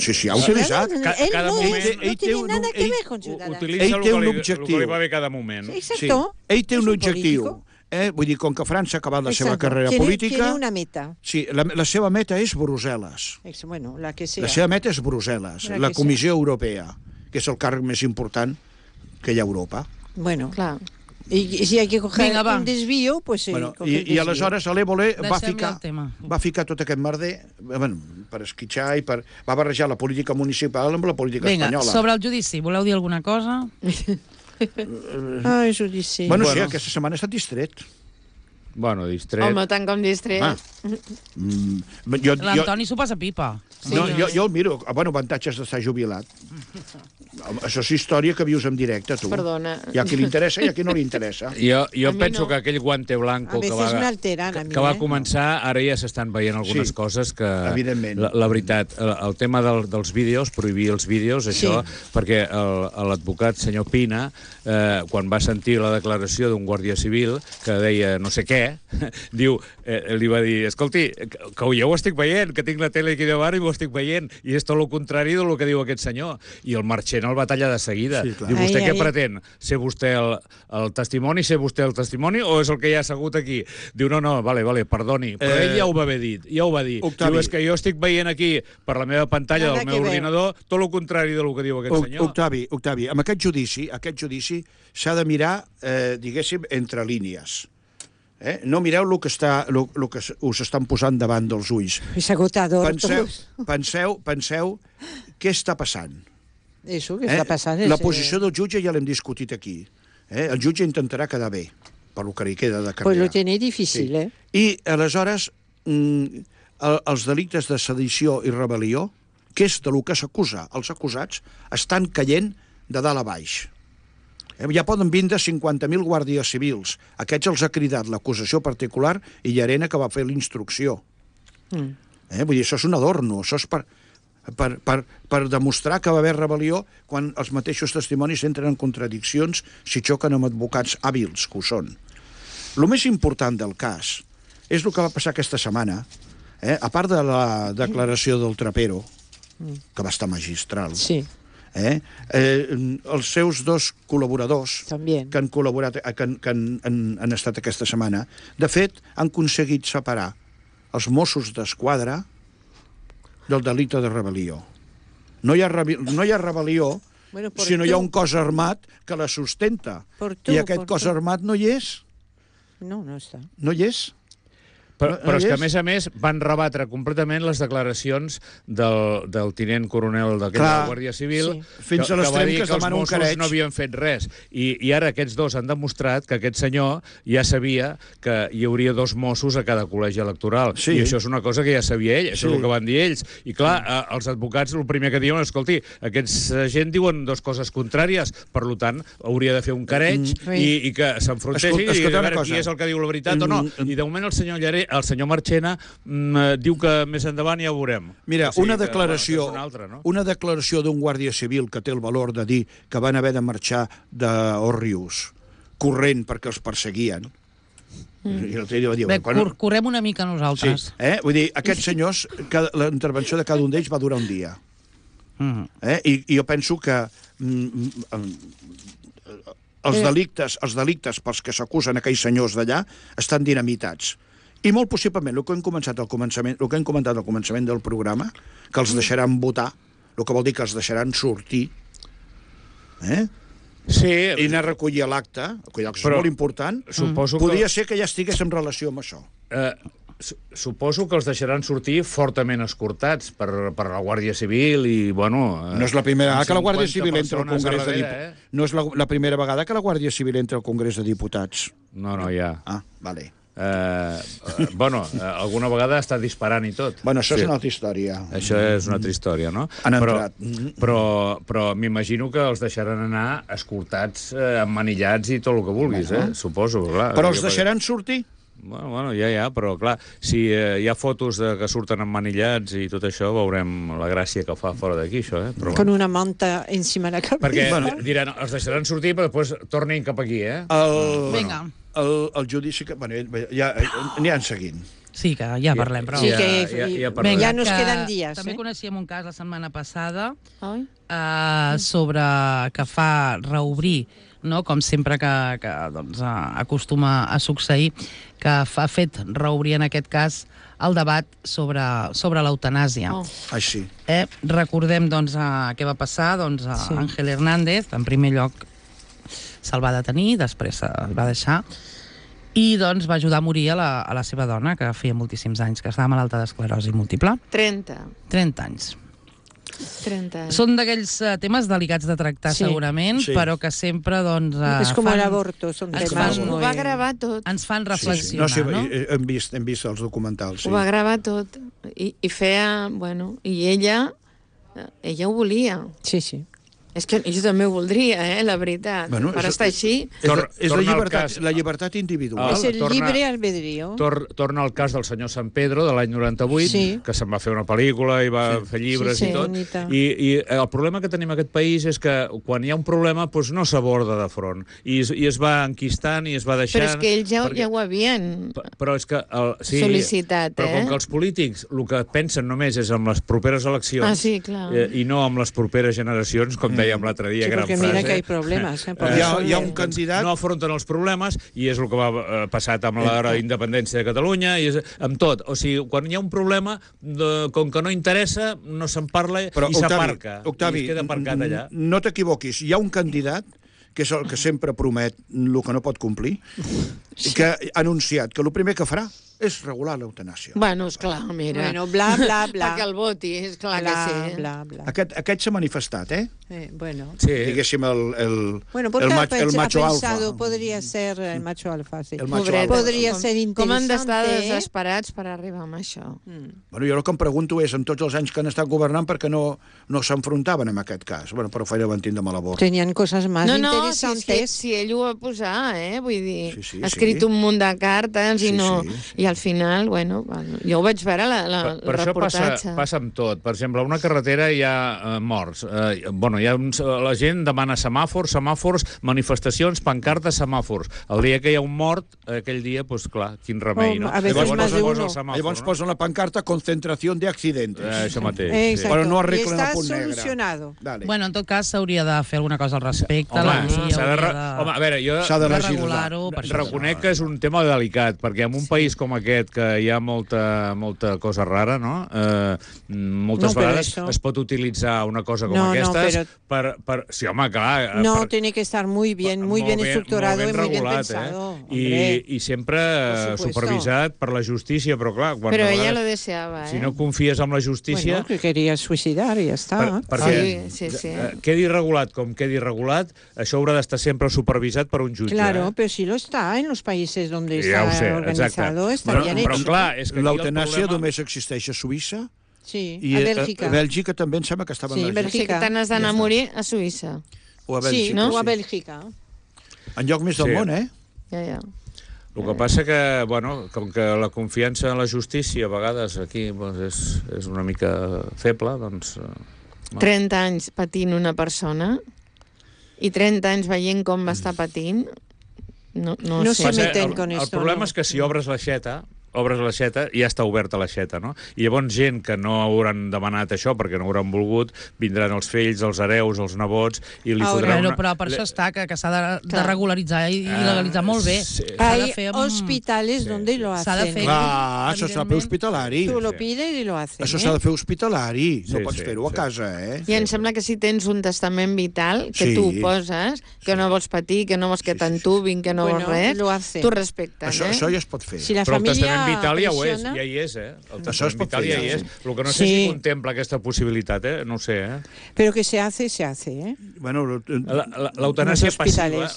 Sí, ha utilitzat. Cada moment... No tiene nada que ver con Ciudadanos. Utilitza el que li va bé cada moment. Exacto. Ell té un objectiu. Vull dir, com que França ha acabat la seva carrera política... Tiene una meta. Sí, la seva meta és Brussel·les. Bueno, la que sea. La seva meta és Brussel·les, la Comissió Europea, que és el càrrec més important que hi ha a Europa. Bueno, clar. Y si hay que coger Vinga, va. un desvío, pues se Bueno, coge el i desvío. aleshores l'Évole Deixem-li el tema. va ficar tot aquest merder per esquitxar i va barrejar la política municipal amb la política Vinga, espanyola. sobre el judici, voleu dir alguna cosa? Ah, judici. Bueno, sí, Bueno. aquesta setmana he estat distret. Bueno, distret. Home, tant com distret. Ah. L'Antoni s'ho passa pipa. Jo el miro. Bueno, avantatges d'estar jubilat. Això és història que vius en directe, tu. Perdona. Hi ha qui li interessa i hi ha qui no li interessa. Jo A mi penso no. que aquell guante blanco A veces me alteran a mí, que va començar, ara ja s'estan veient algunes Sí, coses que... evidentment. La veritat, el tema dels vídeos, prohibir els vídeos, això, perquè l'advocat senyor Pina, quan va sentir la declaració d'un guàrdia civil que deia no sé què, diu, li va dir, escolti, que jo ho estic veient, que tinc la tele aquí davant i ho estic veient, i és tot el contrari del que diu aquest senyor. I el Marchena el va tallar de seguida. Sí, clar. Diu, vostè Ai, què ai. pretén? Ser vostè el testimoni? Ser vostè el testimoni? O és el que ja ha assegut aquí? Diu, no, vale, perdoni. Però ell ja ho va haver dit, ja ho va dir. Octavi. Diu, és que jo estic veient aquí, per la meva pantalla Nada del que meu ver. ordinador, tot el contrari del que diu aquest senyor. Octavi, amb aquest judici s'ha de mirar, diguéssim, entre línies. No mireu el que us estan posant davant dels ulls. Es agotador. Penseu què està passant. Eso que está pasando. La posició del jutge ja l'hem discutit aquí. El jutge intentarà quedar bé, per lo que li queda de carrera. Pues lo tiene difícil, Sí. I, aleshores, els delictes de sedició i rebel·lió, que és de lo que s'acusa, els acusats, estan caient de dalt a baix. Ja poden vindre 50.000 guàrdies civils. Aquests els ha cridat l'acusació particular i Llarena, que va fer la instrucció. Vull dir, això és un adorno, això és per demostrar que va haver rebel·lió quan els mateixos testimonis entren en contradiccions si xoquen amb advocats hàbils, que ho són. El més important del cas és el que va passar aquesta setmana, a part de la declaració del Trapero, que va estar magistral, Sí, els seus dos col·laboradors També. que han col·laborat, que han estat aquesta setmana, de fet, han aconseguit separar els Mossos d'Esquadra del delicte de rebel·lió. No hi ha rebel·lió Bueno, por si no hi ha tu. un cos armat que la sustenta. Per tu, I aquest per cos tu. armat no hi és. no està. No hi és. Però és que, a més, van rebatre completament les declaracions del tinent coronel de la Guàrdia Civil, Sí. Fins a que va l'extrem dir que es que els demana un Mossos careig. no havien fet res. I ara aquests dos han demostrat que aquest senyor ja sabia que hi hauria dos Mossos a cada col·legi electoral. Sí. I això és una cosa que ja sabia ell, això Sí. és el que van dir ells. I clar, els advocats el primer que diuen, escolti, aquesta gent diuen dues coses contràries, per tant, hauria de fer un careig i que s'enfrontessin i a veure qui és el que diu la veritat o no. I de moment el senyor Marchena diu que més endavant ja ho veurem. Mira, O sigui una que, declaració és una altra, no? una declaració d'un guàrdia civil que té el valor de dir que van haver de marxar d'Òrrius corrent perquè els perseguien. I l'altre dia va dir... Bé, quan- correm una mica nosaltres. Sí, vull dir, aquests senyors, la intervenció de cada un d'ells va durar un dia. I jo penso que els delictes pels que s'acusen aquells senyors d'allà estan dinamitats. I molt possiblement, el que hem comentat al començament del programa, que els deixaran votar, el que vol dir que els deixaran sortir, Sí, i anar a recollir l'acte, que és Però molt important, suposo que- podria ser que ja estigués en relació amb això. suposo que els deixaran sortir fortament escortats per la Guàrdia Civil i, bueno... No és la primera vegada que la Guàrdia 50 Civil entra al persones Congrés de darrere, Diputats. No és la primera vegada que la Guàrdia Civil entra al Congrés de Diputats. No, ja. Ah, vale. Alguna vegada està disparant i tot. Bueno, això és una altra història. Això és una altra història, no? Han entrat. Però m'imagino que els deixaran anar escortats, emmanillats i tot el que vulguis, suposo. Clar, Però els deixaran sortir? Bueno, ja, però clar, si hi ha fotos que surten emmanillats i tot això, veurem la gràcia que fa fora d'aquí, això, Però, Con una manta encima de la cabeza. perquè diran, els deixaran sortir, però després tornin cap aquí, Vinga. El judici... Bueno, ja aniran seguint. Sí, que ja parlem, però... Sí, Ja- que ja parlarem. ya nos que quedan días. També coneixíem un cas la setmana passada Ai. sobre que fa reobrir, no? Com sempre que doncs, acostuma a succeir, que ha fet reobrir en aquest cas el debat sobre l'eutanàsia. Oh. Així. Recordem doncs, què va passar, doncs, a Sí. Ángel Hernández, en primer lloc se'l va detenir, després se'l va deixar, i doncs va ajudar a morir a la seva dona, que feia moltíssims anys, que estava malalta d'esclerosi múltiple. 30 anys. 30 anys. Són d'aquells temes delicats de tractar, segurament, però que sempre, doncs... És com l'avorto, són temes Ho va gravar tot. Ens fan reflexionar, no? Hem vist els documentals, Ho va gravar tot. I feia... Bueno, i ella ho volia. Sí, sí. És que jo també ho voldria, la veritat. Per estar així... És la llibertat individual. És el llibre albedrío. Torna al cas del senyor San Pedro, de l'any 98, que se'n va fer una pel·lícula i va fer llibres i tot. I el problema que tenim en aquest país és que quan hi ha un problema no s'aborda de front. I es va enquistant i es va deixant... Però és que ells ja ho havien sol·licitat, Però com que els polítics el que pensen només és en les properes eleccions i no en les properes generacions, com dèiem l'altre dia, gran frase. Perquè mira que hi ha problemes. Hi ha un candidat... No afronten els problemes, i és el que va passat amb la independència de Catalunya, i amb tot. O sigui, quan hi ha un problema, com que no interessa, no se'n parla i s'aparca. Octavi, i es queda aparcat allà. No t'equivoquis, hi ha un candidat que és el que sempre promet el que no pot complir, que ha anunciat que el primer que farà és regular l'eutanàsia. Bueno, esclar, mira. Bueno, bla, bla, bla. Perquè el voti, esclar que sí. Bla, bla. Aquest s'ha manifestat, Bueno. Sí. Diguéssim, el macho alfa. Podria ser el macho alfa, sí. Podria ser interessant. Com han d'estar desesperats per arribar a això? Bueno, jo el que em pregunto és, en tots els anys que han estat governant, per què no s'enfrontaven amb aquest cas? Bueno, però feia mentint de mala borda. Tenien coses més interessantes. Si ell ho va posar, vull dir, ha escrit un munt de cartes i no... I al final, bueno, jo ho vaig veure, el reportatge. Per això passa amb tot. Per exemple, a una carretera hi ha morts. La gent demana semàfors, manifestacions, pancartes, semàfors. El dia que hi ha un mort, aquell dia, doncs clar, quin remei, no? Llavors posen la pancarta concentració de accidentes. Això mateix. Però no arreglen el punt negre. Solucionado. Bueno, en tot cas, s'hauria de fer alguna cosa al respecte. Home, a veure, jo reconec que és un tema delicat, perquè en un país com aquest, que hi ha molta cosa rara, no? Moltes vegades es pot utilitzar una cosa com aquesta per... Sí, home, clar... No, tiene que estar muy bien estructurado y muy bien pensado. I sempre supervisat per la justícia, però clar... Però ella lo deseava, Si no confies en la justícia... Bueno, que quería suicidar i ja està. Perquè quedi regulat com quedi regulat, això haurà d'estar sempre supervisat per un jutge. Claro, pero si lo está en los países donde está organizado, está bien hecho. Però clar, és que l'eutanàsia només existeix a Suïssa? Sí, a Bèlgica. A Bèlgica també em sembla que estava en Bèlgica. Sí, que te n'has d'anar a morir a Suïssa. O a Bèlgica. Sí, no? O a Bèlgica. En lloc més del món, Ja. El que passa que, bueno, com que la confiança en la justícia a vegades aquí és una mica feble, doncs... 30 anys patint una persona i 30 anys veient com va estar patint, no se meten con esto. El problema és que si obres l'aixeta, ja està oberta l'aixeta, no? I llavors gent que no hauran demanat això perquè no hauran volgut, vindran els fills, els hereus, els nebots, i li fotran una... Però per això està, que s'ha de regularitzar i legalitzar molt bé. Hay hospitales donde lo hacen. S'ha de fer... Això s'ha de fer hospitalari. Tu lo pides i lo hacen. Això s'ha de fer hospitalari. No pots fer-ho a casa, I em sembla que si tens un testament vital, que tu poses, que no vols patir, que no vols que t'entubin, que no vols res, tu respecten. Això ja es pot fer. Si la família vital ja hi és, El testament vital ja hi és. El que no sé si contempla aquesta possibilitat, no ho sé, Però que se hace, Bueno, l'eutanàsia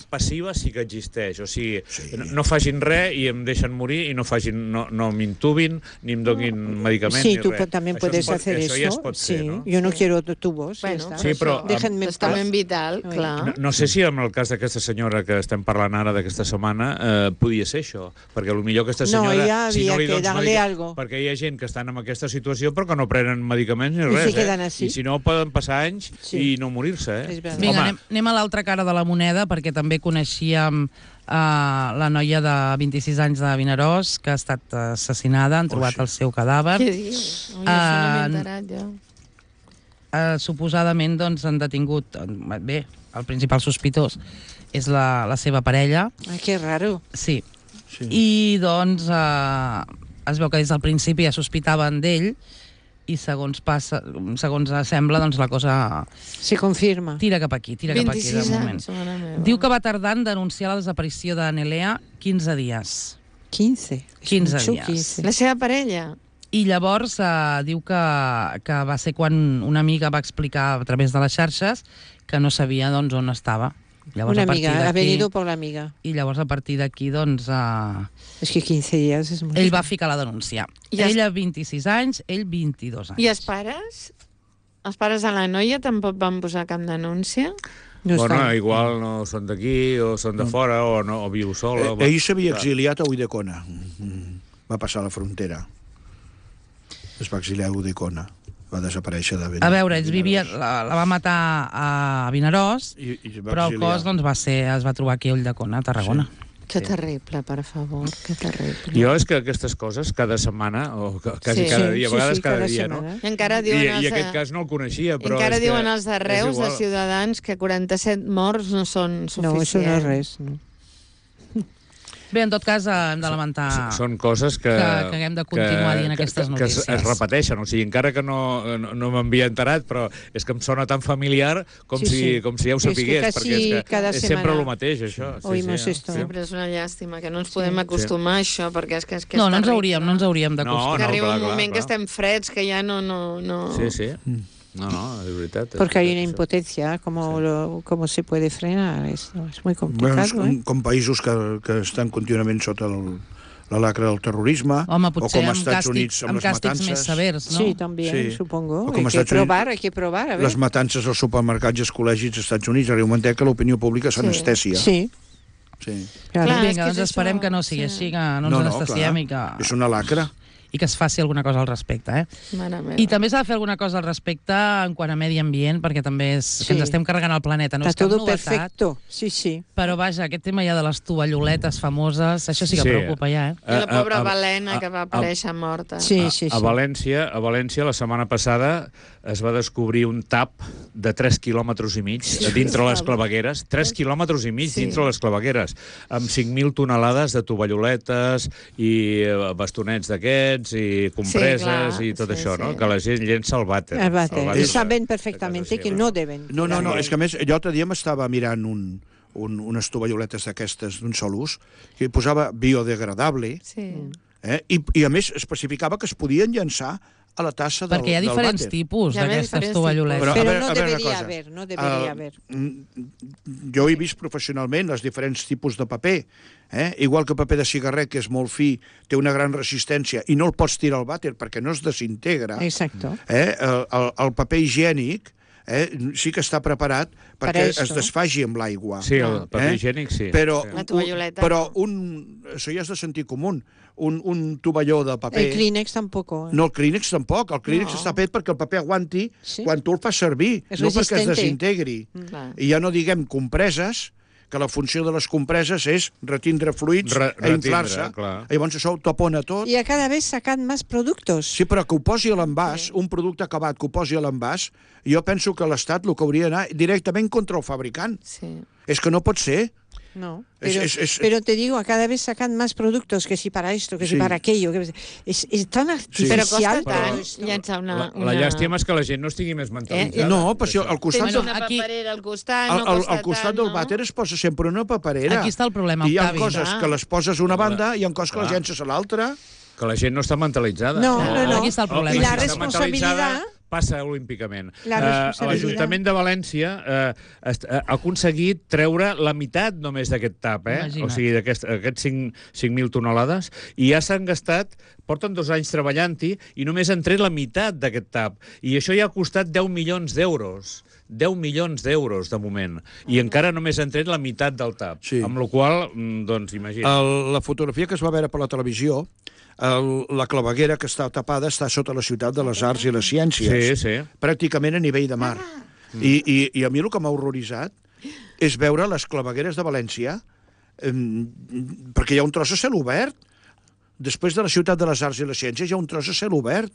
passiva sí que existeix. O sigui, no facin res i em deixen morir i no m'intubin ni em donin medicaments ni res. Sí, tú también puedes hacer eso. Això ja es pot fer, no? Yo no quiero tubos. Sí, però... Testament vital, clar. No sé si en el cas d'aquesta senyora que estem parlant ara d'aquesta setmana podia ser això, perquè potser aquesta senyora... Si no li dones medicaments, perquè hi ha gent que estan en aquesta situació però que no prenen medicaments ni res, I si no poden passar anys i no morir-se, Vinga, anem a l'altra cara de la moneda, perquè també coneixíem la noia de 26 anys de Vinaròs que ha estat assassinada, han trobat el seu cadàver. Què dius? No m'he enterat, ja. Suposadament doncs, han detingut... Bé, el principal sospitós és la seva parella. Que raro. Sí. I doncs es veu que des del principi ja sospitaven d'ell i segons sembla, doncs la cosa... Se confirma. Tira cap aquí, de moment. Diu que va tardar en denunciar la desaparició de Nelea 15 dies. 15 dies. La seva parella? I llavors diu que va ser quan una amiga va explicar a través de les xarxes que no sabia doncs, on estava. Llavors, una amiga, ha venido por la amiga. I llavors a partir d'aquí, doncs... És que 15 dies és molt... Ell va ficar la denúncia. Ella 26 anys, ell 22 anys. I els pares? Els pares de la noia tampoc van posar cap denúncia? No igual no són d'aquí, o són de fora, o viu sola... Ell s'havia exiliat a Ulldecona. Va passar a la frontera. Es va exiliar a Ulldecona. Va desaparèixer de Vinaròs. A veure, ells vivien, la va matar a Vinaròs, però el cos doncs, es va trobar aquí a Ulldecona, a Tarragona. Sí. Que terrible, per favor, que terrible. Jo és que aquestes coses cada setmana, o quasi cada dia, a vegades cada dia, no? I encara diuen I aquest cas no el coneixia, però encara diuen els de Reus, de Ciutadans, que 47 morts no són suficients. No, això no és res, no. Bé, en tot cas, hem de lamentar... Són coses que haguem de continuar dient aquestes notícies. Que es repeteixen, o sigui, encara que no m'havia enterat, però és que em sona tan familiar com si ja ho sapigués, perquè és que és sempre el mateix, això. Sempre és una llàstima, que no ens podem acostumar a això, perquè és que és no ens hauríem d'acostumar. Que arriba un moment que estem freds, que ja no... Sí. No, es veritat. Porque hay una impotencia, ¿cómo se puede frenar? Es muy complicado. Bueno, com països que estan contínuament sota la lacra del terrorisme, home, o com als Estats Units amb les matances. Més severs, no? Sí, también, supongo. Hay que probar, a ver. Les matances als supermercats i als col·legis als Estats Units, arriba un moment que l'opinió pública s'anestèsia. Sí. Clar, vinga, doncs esperem que no sigui així, que no ens anestesiem i que... És una lacra. I que es faci alguna cosa al respecte, I també s'ha de fer alguna cosa al respecte en quant a medi ambient, perquè també és que ens estem carregant el planeta. No és cap novetat, perfecto. Sí. Però vaja, aquest tema ja de les tovalloletes famoses, això sí que preocupa ja, I la pobra Balena, que va aparèixer morta. Sí. A València, la setmana passada, es va descobrir un tap de 3 quilòmetres i mig dintre les clavegueres. 3 quilòmetres i mig dintre les clavegueres, amb 5.000 tonelades de tovalloletes i bastonets d'aquests, i compreses i tot això, no? Que la gent llença el vàter. El vàter. I saben perfectament que no deben. No, és que a més, l'altre dia m'estava mirant unes tovalloletes d'aquestes d'un sol ús, que posava biodegradable, i a més especificava que es podien llençar a la tassa del vàter. Perquè hi ha diferents tipus d'aquestes tovalloletes. Però no deberia haver. Jo he vist professionalment els diferents tipus de paper. Igual que el paper de cigarret, que és molt fi, té una gran resistència i no el pots tirar al vàter perquè no es desintegra. Exacto. El paper higiènic sí que està preparat perquè es desfaci amb l'aigua. Sí, el paper higiènic sí. Però això ja és de sentit comú. Un tovalló de paper... El Kleenex tampoc. No, el Kleenex tampoc. El Kleenex està fet perquè el paper aguanti quan tu el fas servir, no perquè es desintegri. I ja no diguem compreses, que la funció de les compreses és retindre fluids i inflar-se. Llavors això ho tapona tot. I a cada vegada sacan més productes. Sí, però que ho posi a l'envàs, un producte acabat que ho posi a l'envàs, jo penso que l'Estat el que hauria d'anar directament contra el fabricant. És que no pot ser. No, pero te digo, a cada vez sacan más productos, que si para esto, que si para aquello. Es tan artificial. Però llençar una... La llàstima és que la gent no estigui més mentalitzada. No, però al costat... Tens una paperera al costat, no costa tant, al costat del vàter es posa sempre una paperera. Aquí està el problema, Octavi. I hi ha coses que les poses a una banda i hi ha coses que les llences a l'altra. Que la gent no està mentalitzada. No. Aquí està el problema. I la responsabilitat... passa olímpicament. L'Ajuntament de València ha aconseguit treure la meitat només d'aquest tap, o sigui, d'aquests 5.000 tonelades, i ja s'han gastat, porten 2 anys treballant-hi, i només han tret la meitat d'aquest tap. I això ja ha costat 10 milions d'euros. 10 milions d'euros, de moment. I encara només han tret la meitat del tap. Amb la qual cosa, doncs, imagina't. La fotografia que es va veure per la televisió, la claveguera que està tapada està sota la ciutat de les arts i les ciències, pràcticament a nivell de mar. I a mi el que m'ha horroritzat és veure les clavegueres de València, perquè hi ha un tros a cel obert. Després de la ciutat de les arts i les ciències hi ha un tros a cel obert.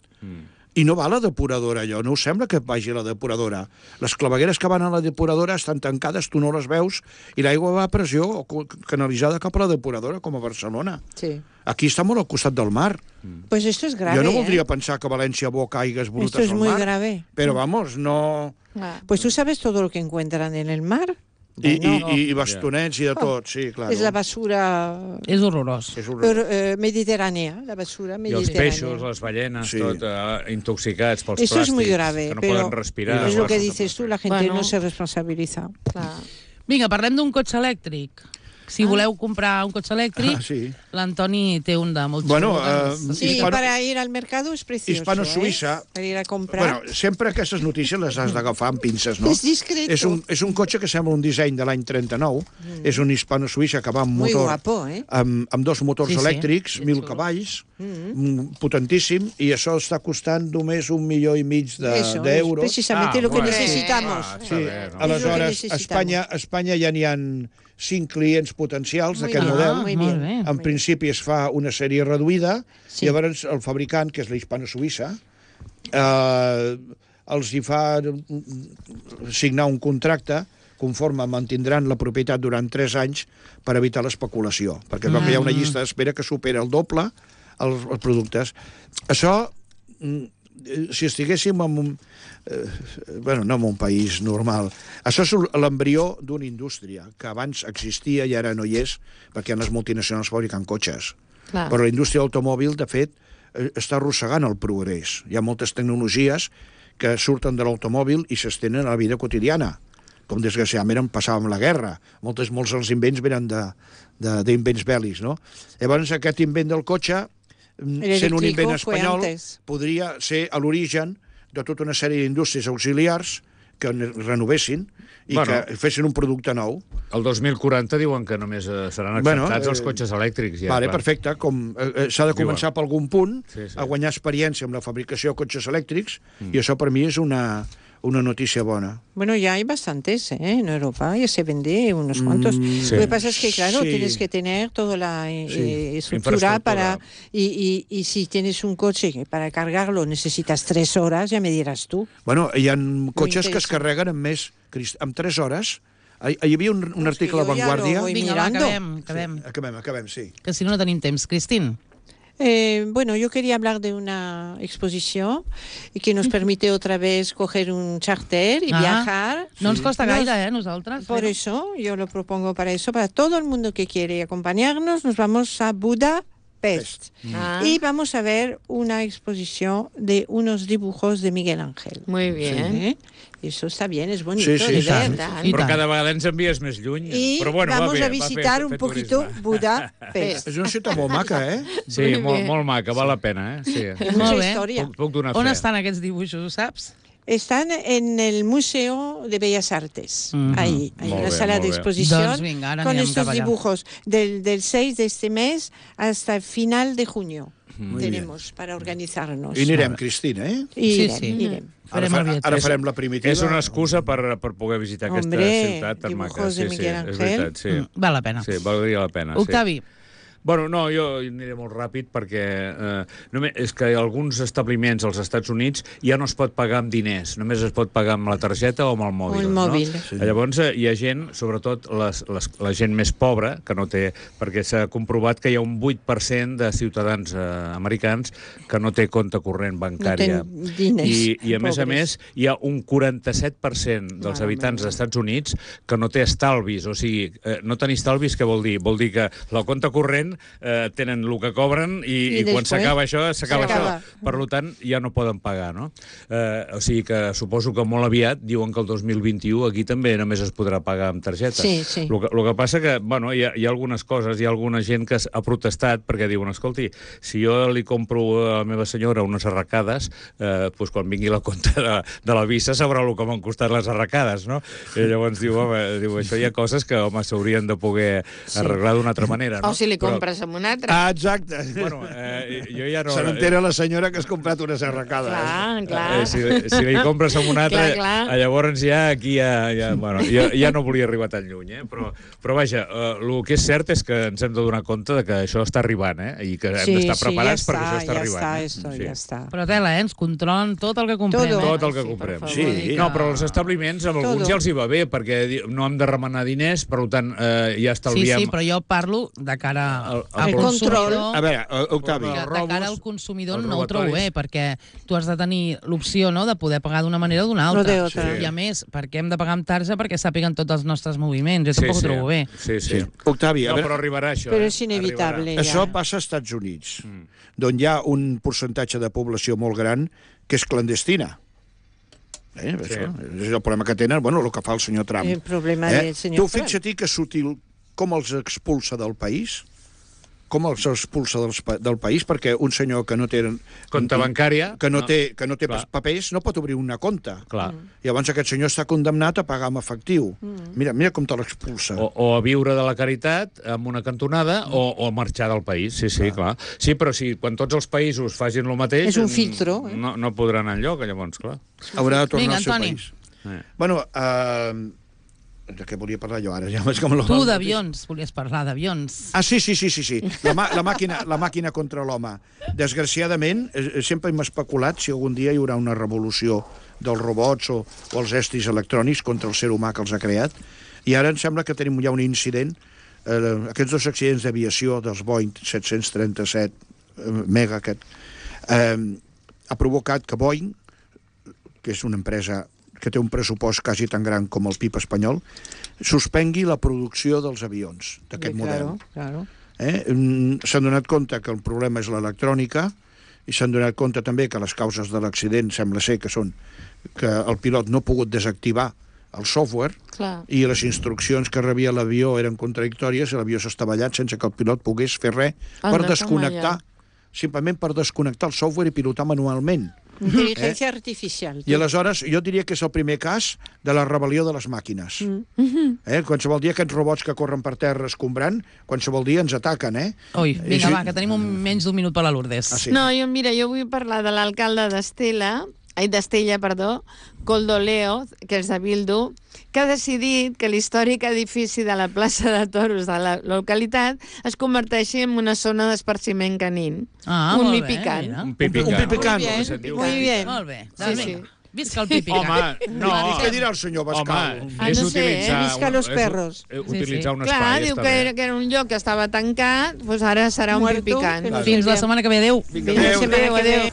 I no va a la depuradora, allò. No us sembla que vagi a la depuradora. Les clavegueres que van a la depuradora estan tancades, tu no les veus, i l'aigua va a pressió canalitzada cap a la depuradora, com a Barcelona. Sí. Aquí està molt al costat del mar. Pues esto es grave. Jo no voldria pensar que a València boca aigues brutes al mar. Esto es muy grave. Pero vamos, no... Pues tú sabes todo lo que encuentran en el mar. I bastonets i de tot, sí, clar. És la basura... És horrorós. Mediterránea, la basura I mediterránea. els peixos, les ballenes, tot intoxicats pels Eso plàstics, es muy grave, que no pero poden respirar. es lo que dices tú, la gente Bueno. no se responsabiliza. Vinga, parlem d'un cotxe elèctric. Si voleu comprar un cotxe elèctric, sí. l'Antoni té un de molt Bueno, xulo. Sí, para ir al mercado es precioso. Hispano-Suïssa. Para ir a comprar. Bueno, sempre aquestes notícies les has d'agafar amb pinces, no? És discreto. És un cotxe que sembla un disseny de l'any 39. És un hispano-suïssa que va amb Muy motor... guapo, amb dos motors Sí, sí. elèctrics, 1.000 cavalls, potentíssim, i això està costant només 1,5 milió d'euros. Precisamente lo que necesitamos. Sí, no. aleshores, És lo que necessitamos. a Espanya ja n'hi ha 5 clients potencials d'aquest bien, model. muy Molt bien. bé. En principi es fa una sèrie reduïda, Sí. llavors el fabricant, que és la Hispano-Suïssa, els hi fa signar un contracte conforme mantindran la propietat durant 3 anys per evitar l'especulació, perquè com que hi ha una llista d'espera que supera el doble els productes. Això, si estiguéssim en un... bueno, no en un país normal. Això és l'embrió d'una indústria que abans existia i ara no hi és, perquè hi ha les multinacionals fabricant cotxes. Clar. Però la indústria automòbil, de fet, està arrossegant el progrés. Hi ha moltes tecnologies que surten de l'automòbil i s'estenen a la vida quotidiana, com desgraciadament passava amb la guerra. Molts dels invents venen d'invents bèl·lics, no? Llavors, aquest invent del cotxe, sent un invent espanyol, podria ser a l'origen de tota una sèrie d'indústries auxiliars que renovessin i que fessin un producte nou. El 2040 diuen que només seran acceptats els cotxes elèctrics. Ja, vale, perfecte. S'ha de començar per algun punt a guanyar experiència amb la fabricació de cotxes elèctrics i això per mi és una noticia buena. Bueno, ya hay bastantes, en Europa, ya se vende unos cuantos. Sí. Lo que pasa es que, claro, Sí. tienes que tener toda la estructura para... Y si tienes un coche que para cargarlo necesitas 3 horas, ya me dirás tú. Bueno, hi ha cotxes que es carreguen en 3 hores. Hi havia un article a La Vanguardia... Vinga, va, mirando. acabem. Sí. Que si no tenim temps. Cristín. Bueno, yo quería hablar de una exposición que nos permite otra vez coger un charter y viajar. No ens costa gaire, nosaltres. Por eso, yo lo propongo para eso, para todo el mundo que quiere acompañarnos, nos vamos a Budapest. Y vamos a ver una exposición de unos dibujos de Miguel Ángel. Muy bien. Eso está bien, es bonito, Sí, de tant. ver. I Però tant. cada vegada ens envies més lluny. Y Però bueno, vamos va bé, a visitar un poquito Budapest. És una ciutat molt maca, Sí, molt maca, val la pena, Sí. Hay mucha Molt bé. historia. Puc donar On fe. estan aquests dibuixos, ho saps? Están en el Museo de Bellas Artes. Ahí, hay Molt una bé, sala molt de bé. exposición Doncs vinga, ara con anem estos cap allà. dibujos del 6 de este mes hasta el final de junio. Tenemos para organizarnos. I anirem, Cristina, Irem. Ara farem la primitiva. És una excusa per poder visitar aquesta ciutat tan maca. dibujos de Miguel és Ángel. veritat, sí. Val la pena. Sí, valdria la pena. Octavi. Bueno, no, jo aniré molt ràpid perquè és que alguns establiments als Estats Units ja no es pot pagar amb diners, només es pot pagar amb la targeta o amb el mòbil. O el mòbil. No? Sí. Llavors hi ha gent, sobretot la gent més pobra, que no té... Perquè s'ha comprovat que hi ha un 8% de ciutadans americans que no té compte corrent bancària. No té diners, I a més, hi ha un 47% dels habitants dels Estats Units que no té estalvis. O sigui, no tenir estalvis, què vol dir? Vol dir que la compte corrent tenen el que cobren i quan s'acaba això, s'acaba això. Per tant, ja no poden pagar, no? O sigui que suposo que molt aviat diuen que el 2021 aquí també només es podrà pagar amb targeta. Sí, sí. El que passa que, bueno, hi ha algunes coses, hi ha alguna gent que ha protestat perquè diuen, escolti, si jo li compro a la meva senyora unes arracades, doncs quan vingui la compta de la visa sabrà el que m'han costat les arracades, no? I llavors diu, això hi ha coses que, home, s'haurien de poder arreglar d'una altra manera, no? O si li compres compres amb un altre. Ah, exacte. Bueno, jo ja no... Se n'entera la senyora que has comprat unes arracades. Clar. Si li compres amb un altre, llavors aquí bueno, ja no volia arribar tan lluny, però vaja, el que és cert és que ens hem de donar compte de que això està arribant, i que hem d'estar preparats perquè això està arribant. Ja està. Però tela, ens controlen tot el que comprem. Tot el que comprem. Sí. No, però els establiments, amb alguns ja els hi va bé, perquè no hem de remenar diners, per tant, ja estalviem... Sí, però jo parlo de cara al consumidor. A veure, Octavi. De cara al consumidor no ho trobo bé, perquè tu has de tenir l'opció de poder pagar d'una manera o d'una altra. I a més, perquè hem de pagar amb tarja perquè sàpiguen tots els nostres moviments. Jo tampoc ho trobo bé. Sí. Octavi, no, però arribarà això. Però és inevitable. Això passa als Estats Units, d'on hi ha un percentatge de població molt gran que és clandestina. Això és el problema que tenen, el que fa el senyor Trump. El problema del senyor Trump. Tu fixa't que és sutil com els expulsa del país, del país, perquè un senyor que no té... Compte bancària. Que no té papers, no pot obrir una compte. Clar. Llavors aquest senyor està condemnat a pagar amb efectiu. Mira com te l'expulsa. O a viure de la caritat amb una cantonada o a marxar del país. Sí, clar. Sí, però quan tots els països facin el mateix... És un filtro. No podrà anar enlloc, llavors, clar. Haurà de tornar al seu país. Bueno, de què volia parlar jo ara? Tu d'avions, volies parlar d'avions. Ah, sí. La màquina contra l'home. Desgraciadament, sempre hem especulat si algun dia hi haurà una revolució dels robots o els estris electrònics contra el ser humà que els ha creat. I ara em sembla que tenim ja un incident. Aquests 2 accidents d'aviació dels Boeing 737 Mega ha provocat que Boeing, que és una empresa que té un pressupost quasi tan gran com el PIB espanyol, suspengui la producció dels avions d'aquest model. Claro. S'han donat compte que el problema és l'electrònica i s'han donat compte també que les causes de l'accident sembla ser que són que el pilot no ha pogut desactivar el software i les instruccions que rebia l'avió eren contradictòries i l'avió s'ha estavellat sense que el pilot pogués fer res per desconnectar, simplement per desconnectar el software i pilotar manualment. Intel·ligència artificial. I aleshores jo diria que és el primer cas de la rebel·lió de les màquines. Qualsevol dia aquests robots que corren per terra escombrant, qualsevol dia ens ataquen, Ui, vinga, va, que tenim menys d'un minut per la Lourdes. No, jo vull parlar de l'alcalde d'Estella, Coldoleo, que és de Bildu, que ha decidit que l'històric edifici de la plaça de Toros de la localitat es converteixi en una zona d'esparciment canin. Un pipicant. Un pipicant. Muy bien. Molt bé. Sí. Visca el pipicant. Home, no. Què dirà el senyor Bascal? És utilitzar... Visca los perros. Utilitzar un espai. Clar, diu que era un lloc que estava tancat, doncs ara serà un pipicant. Fins la setmana que ve. Adéu. Adéu.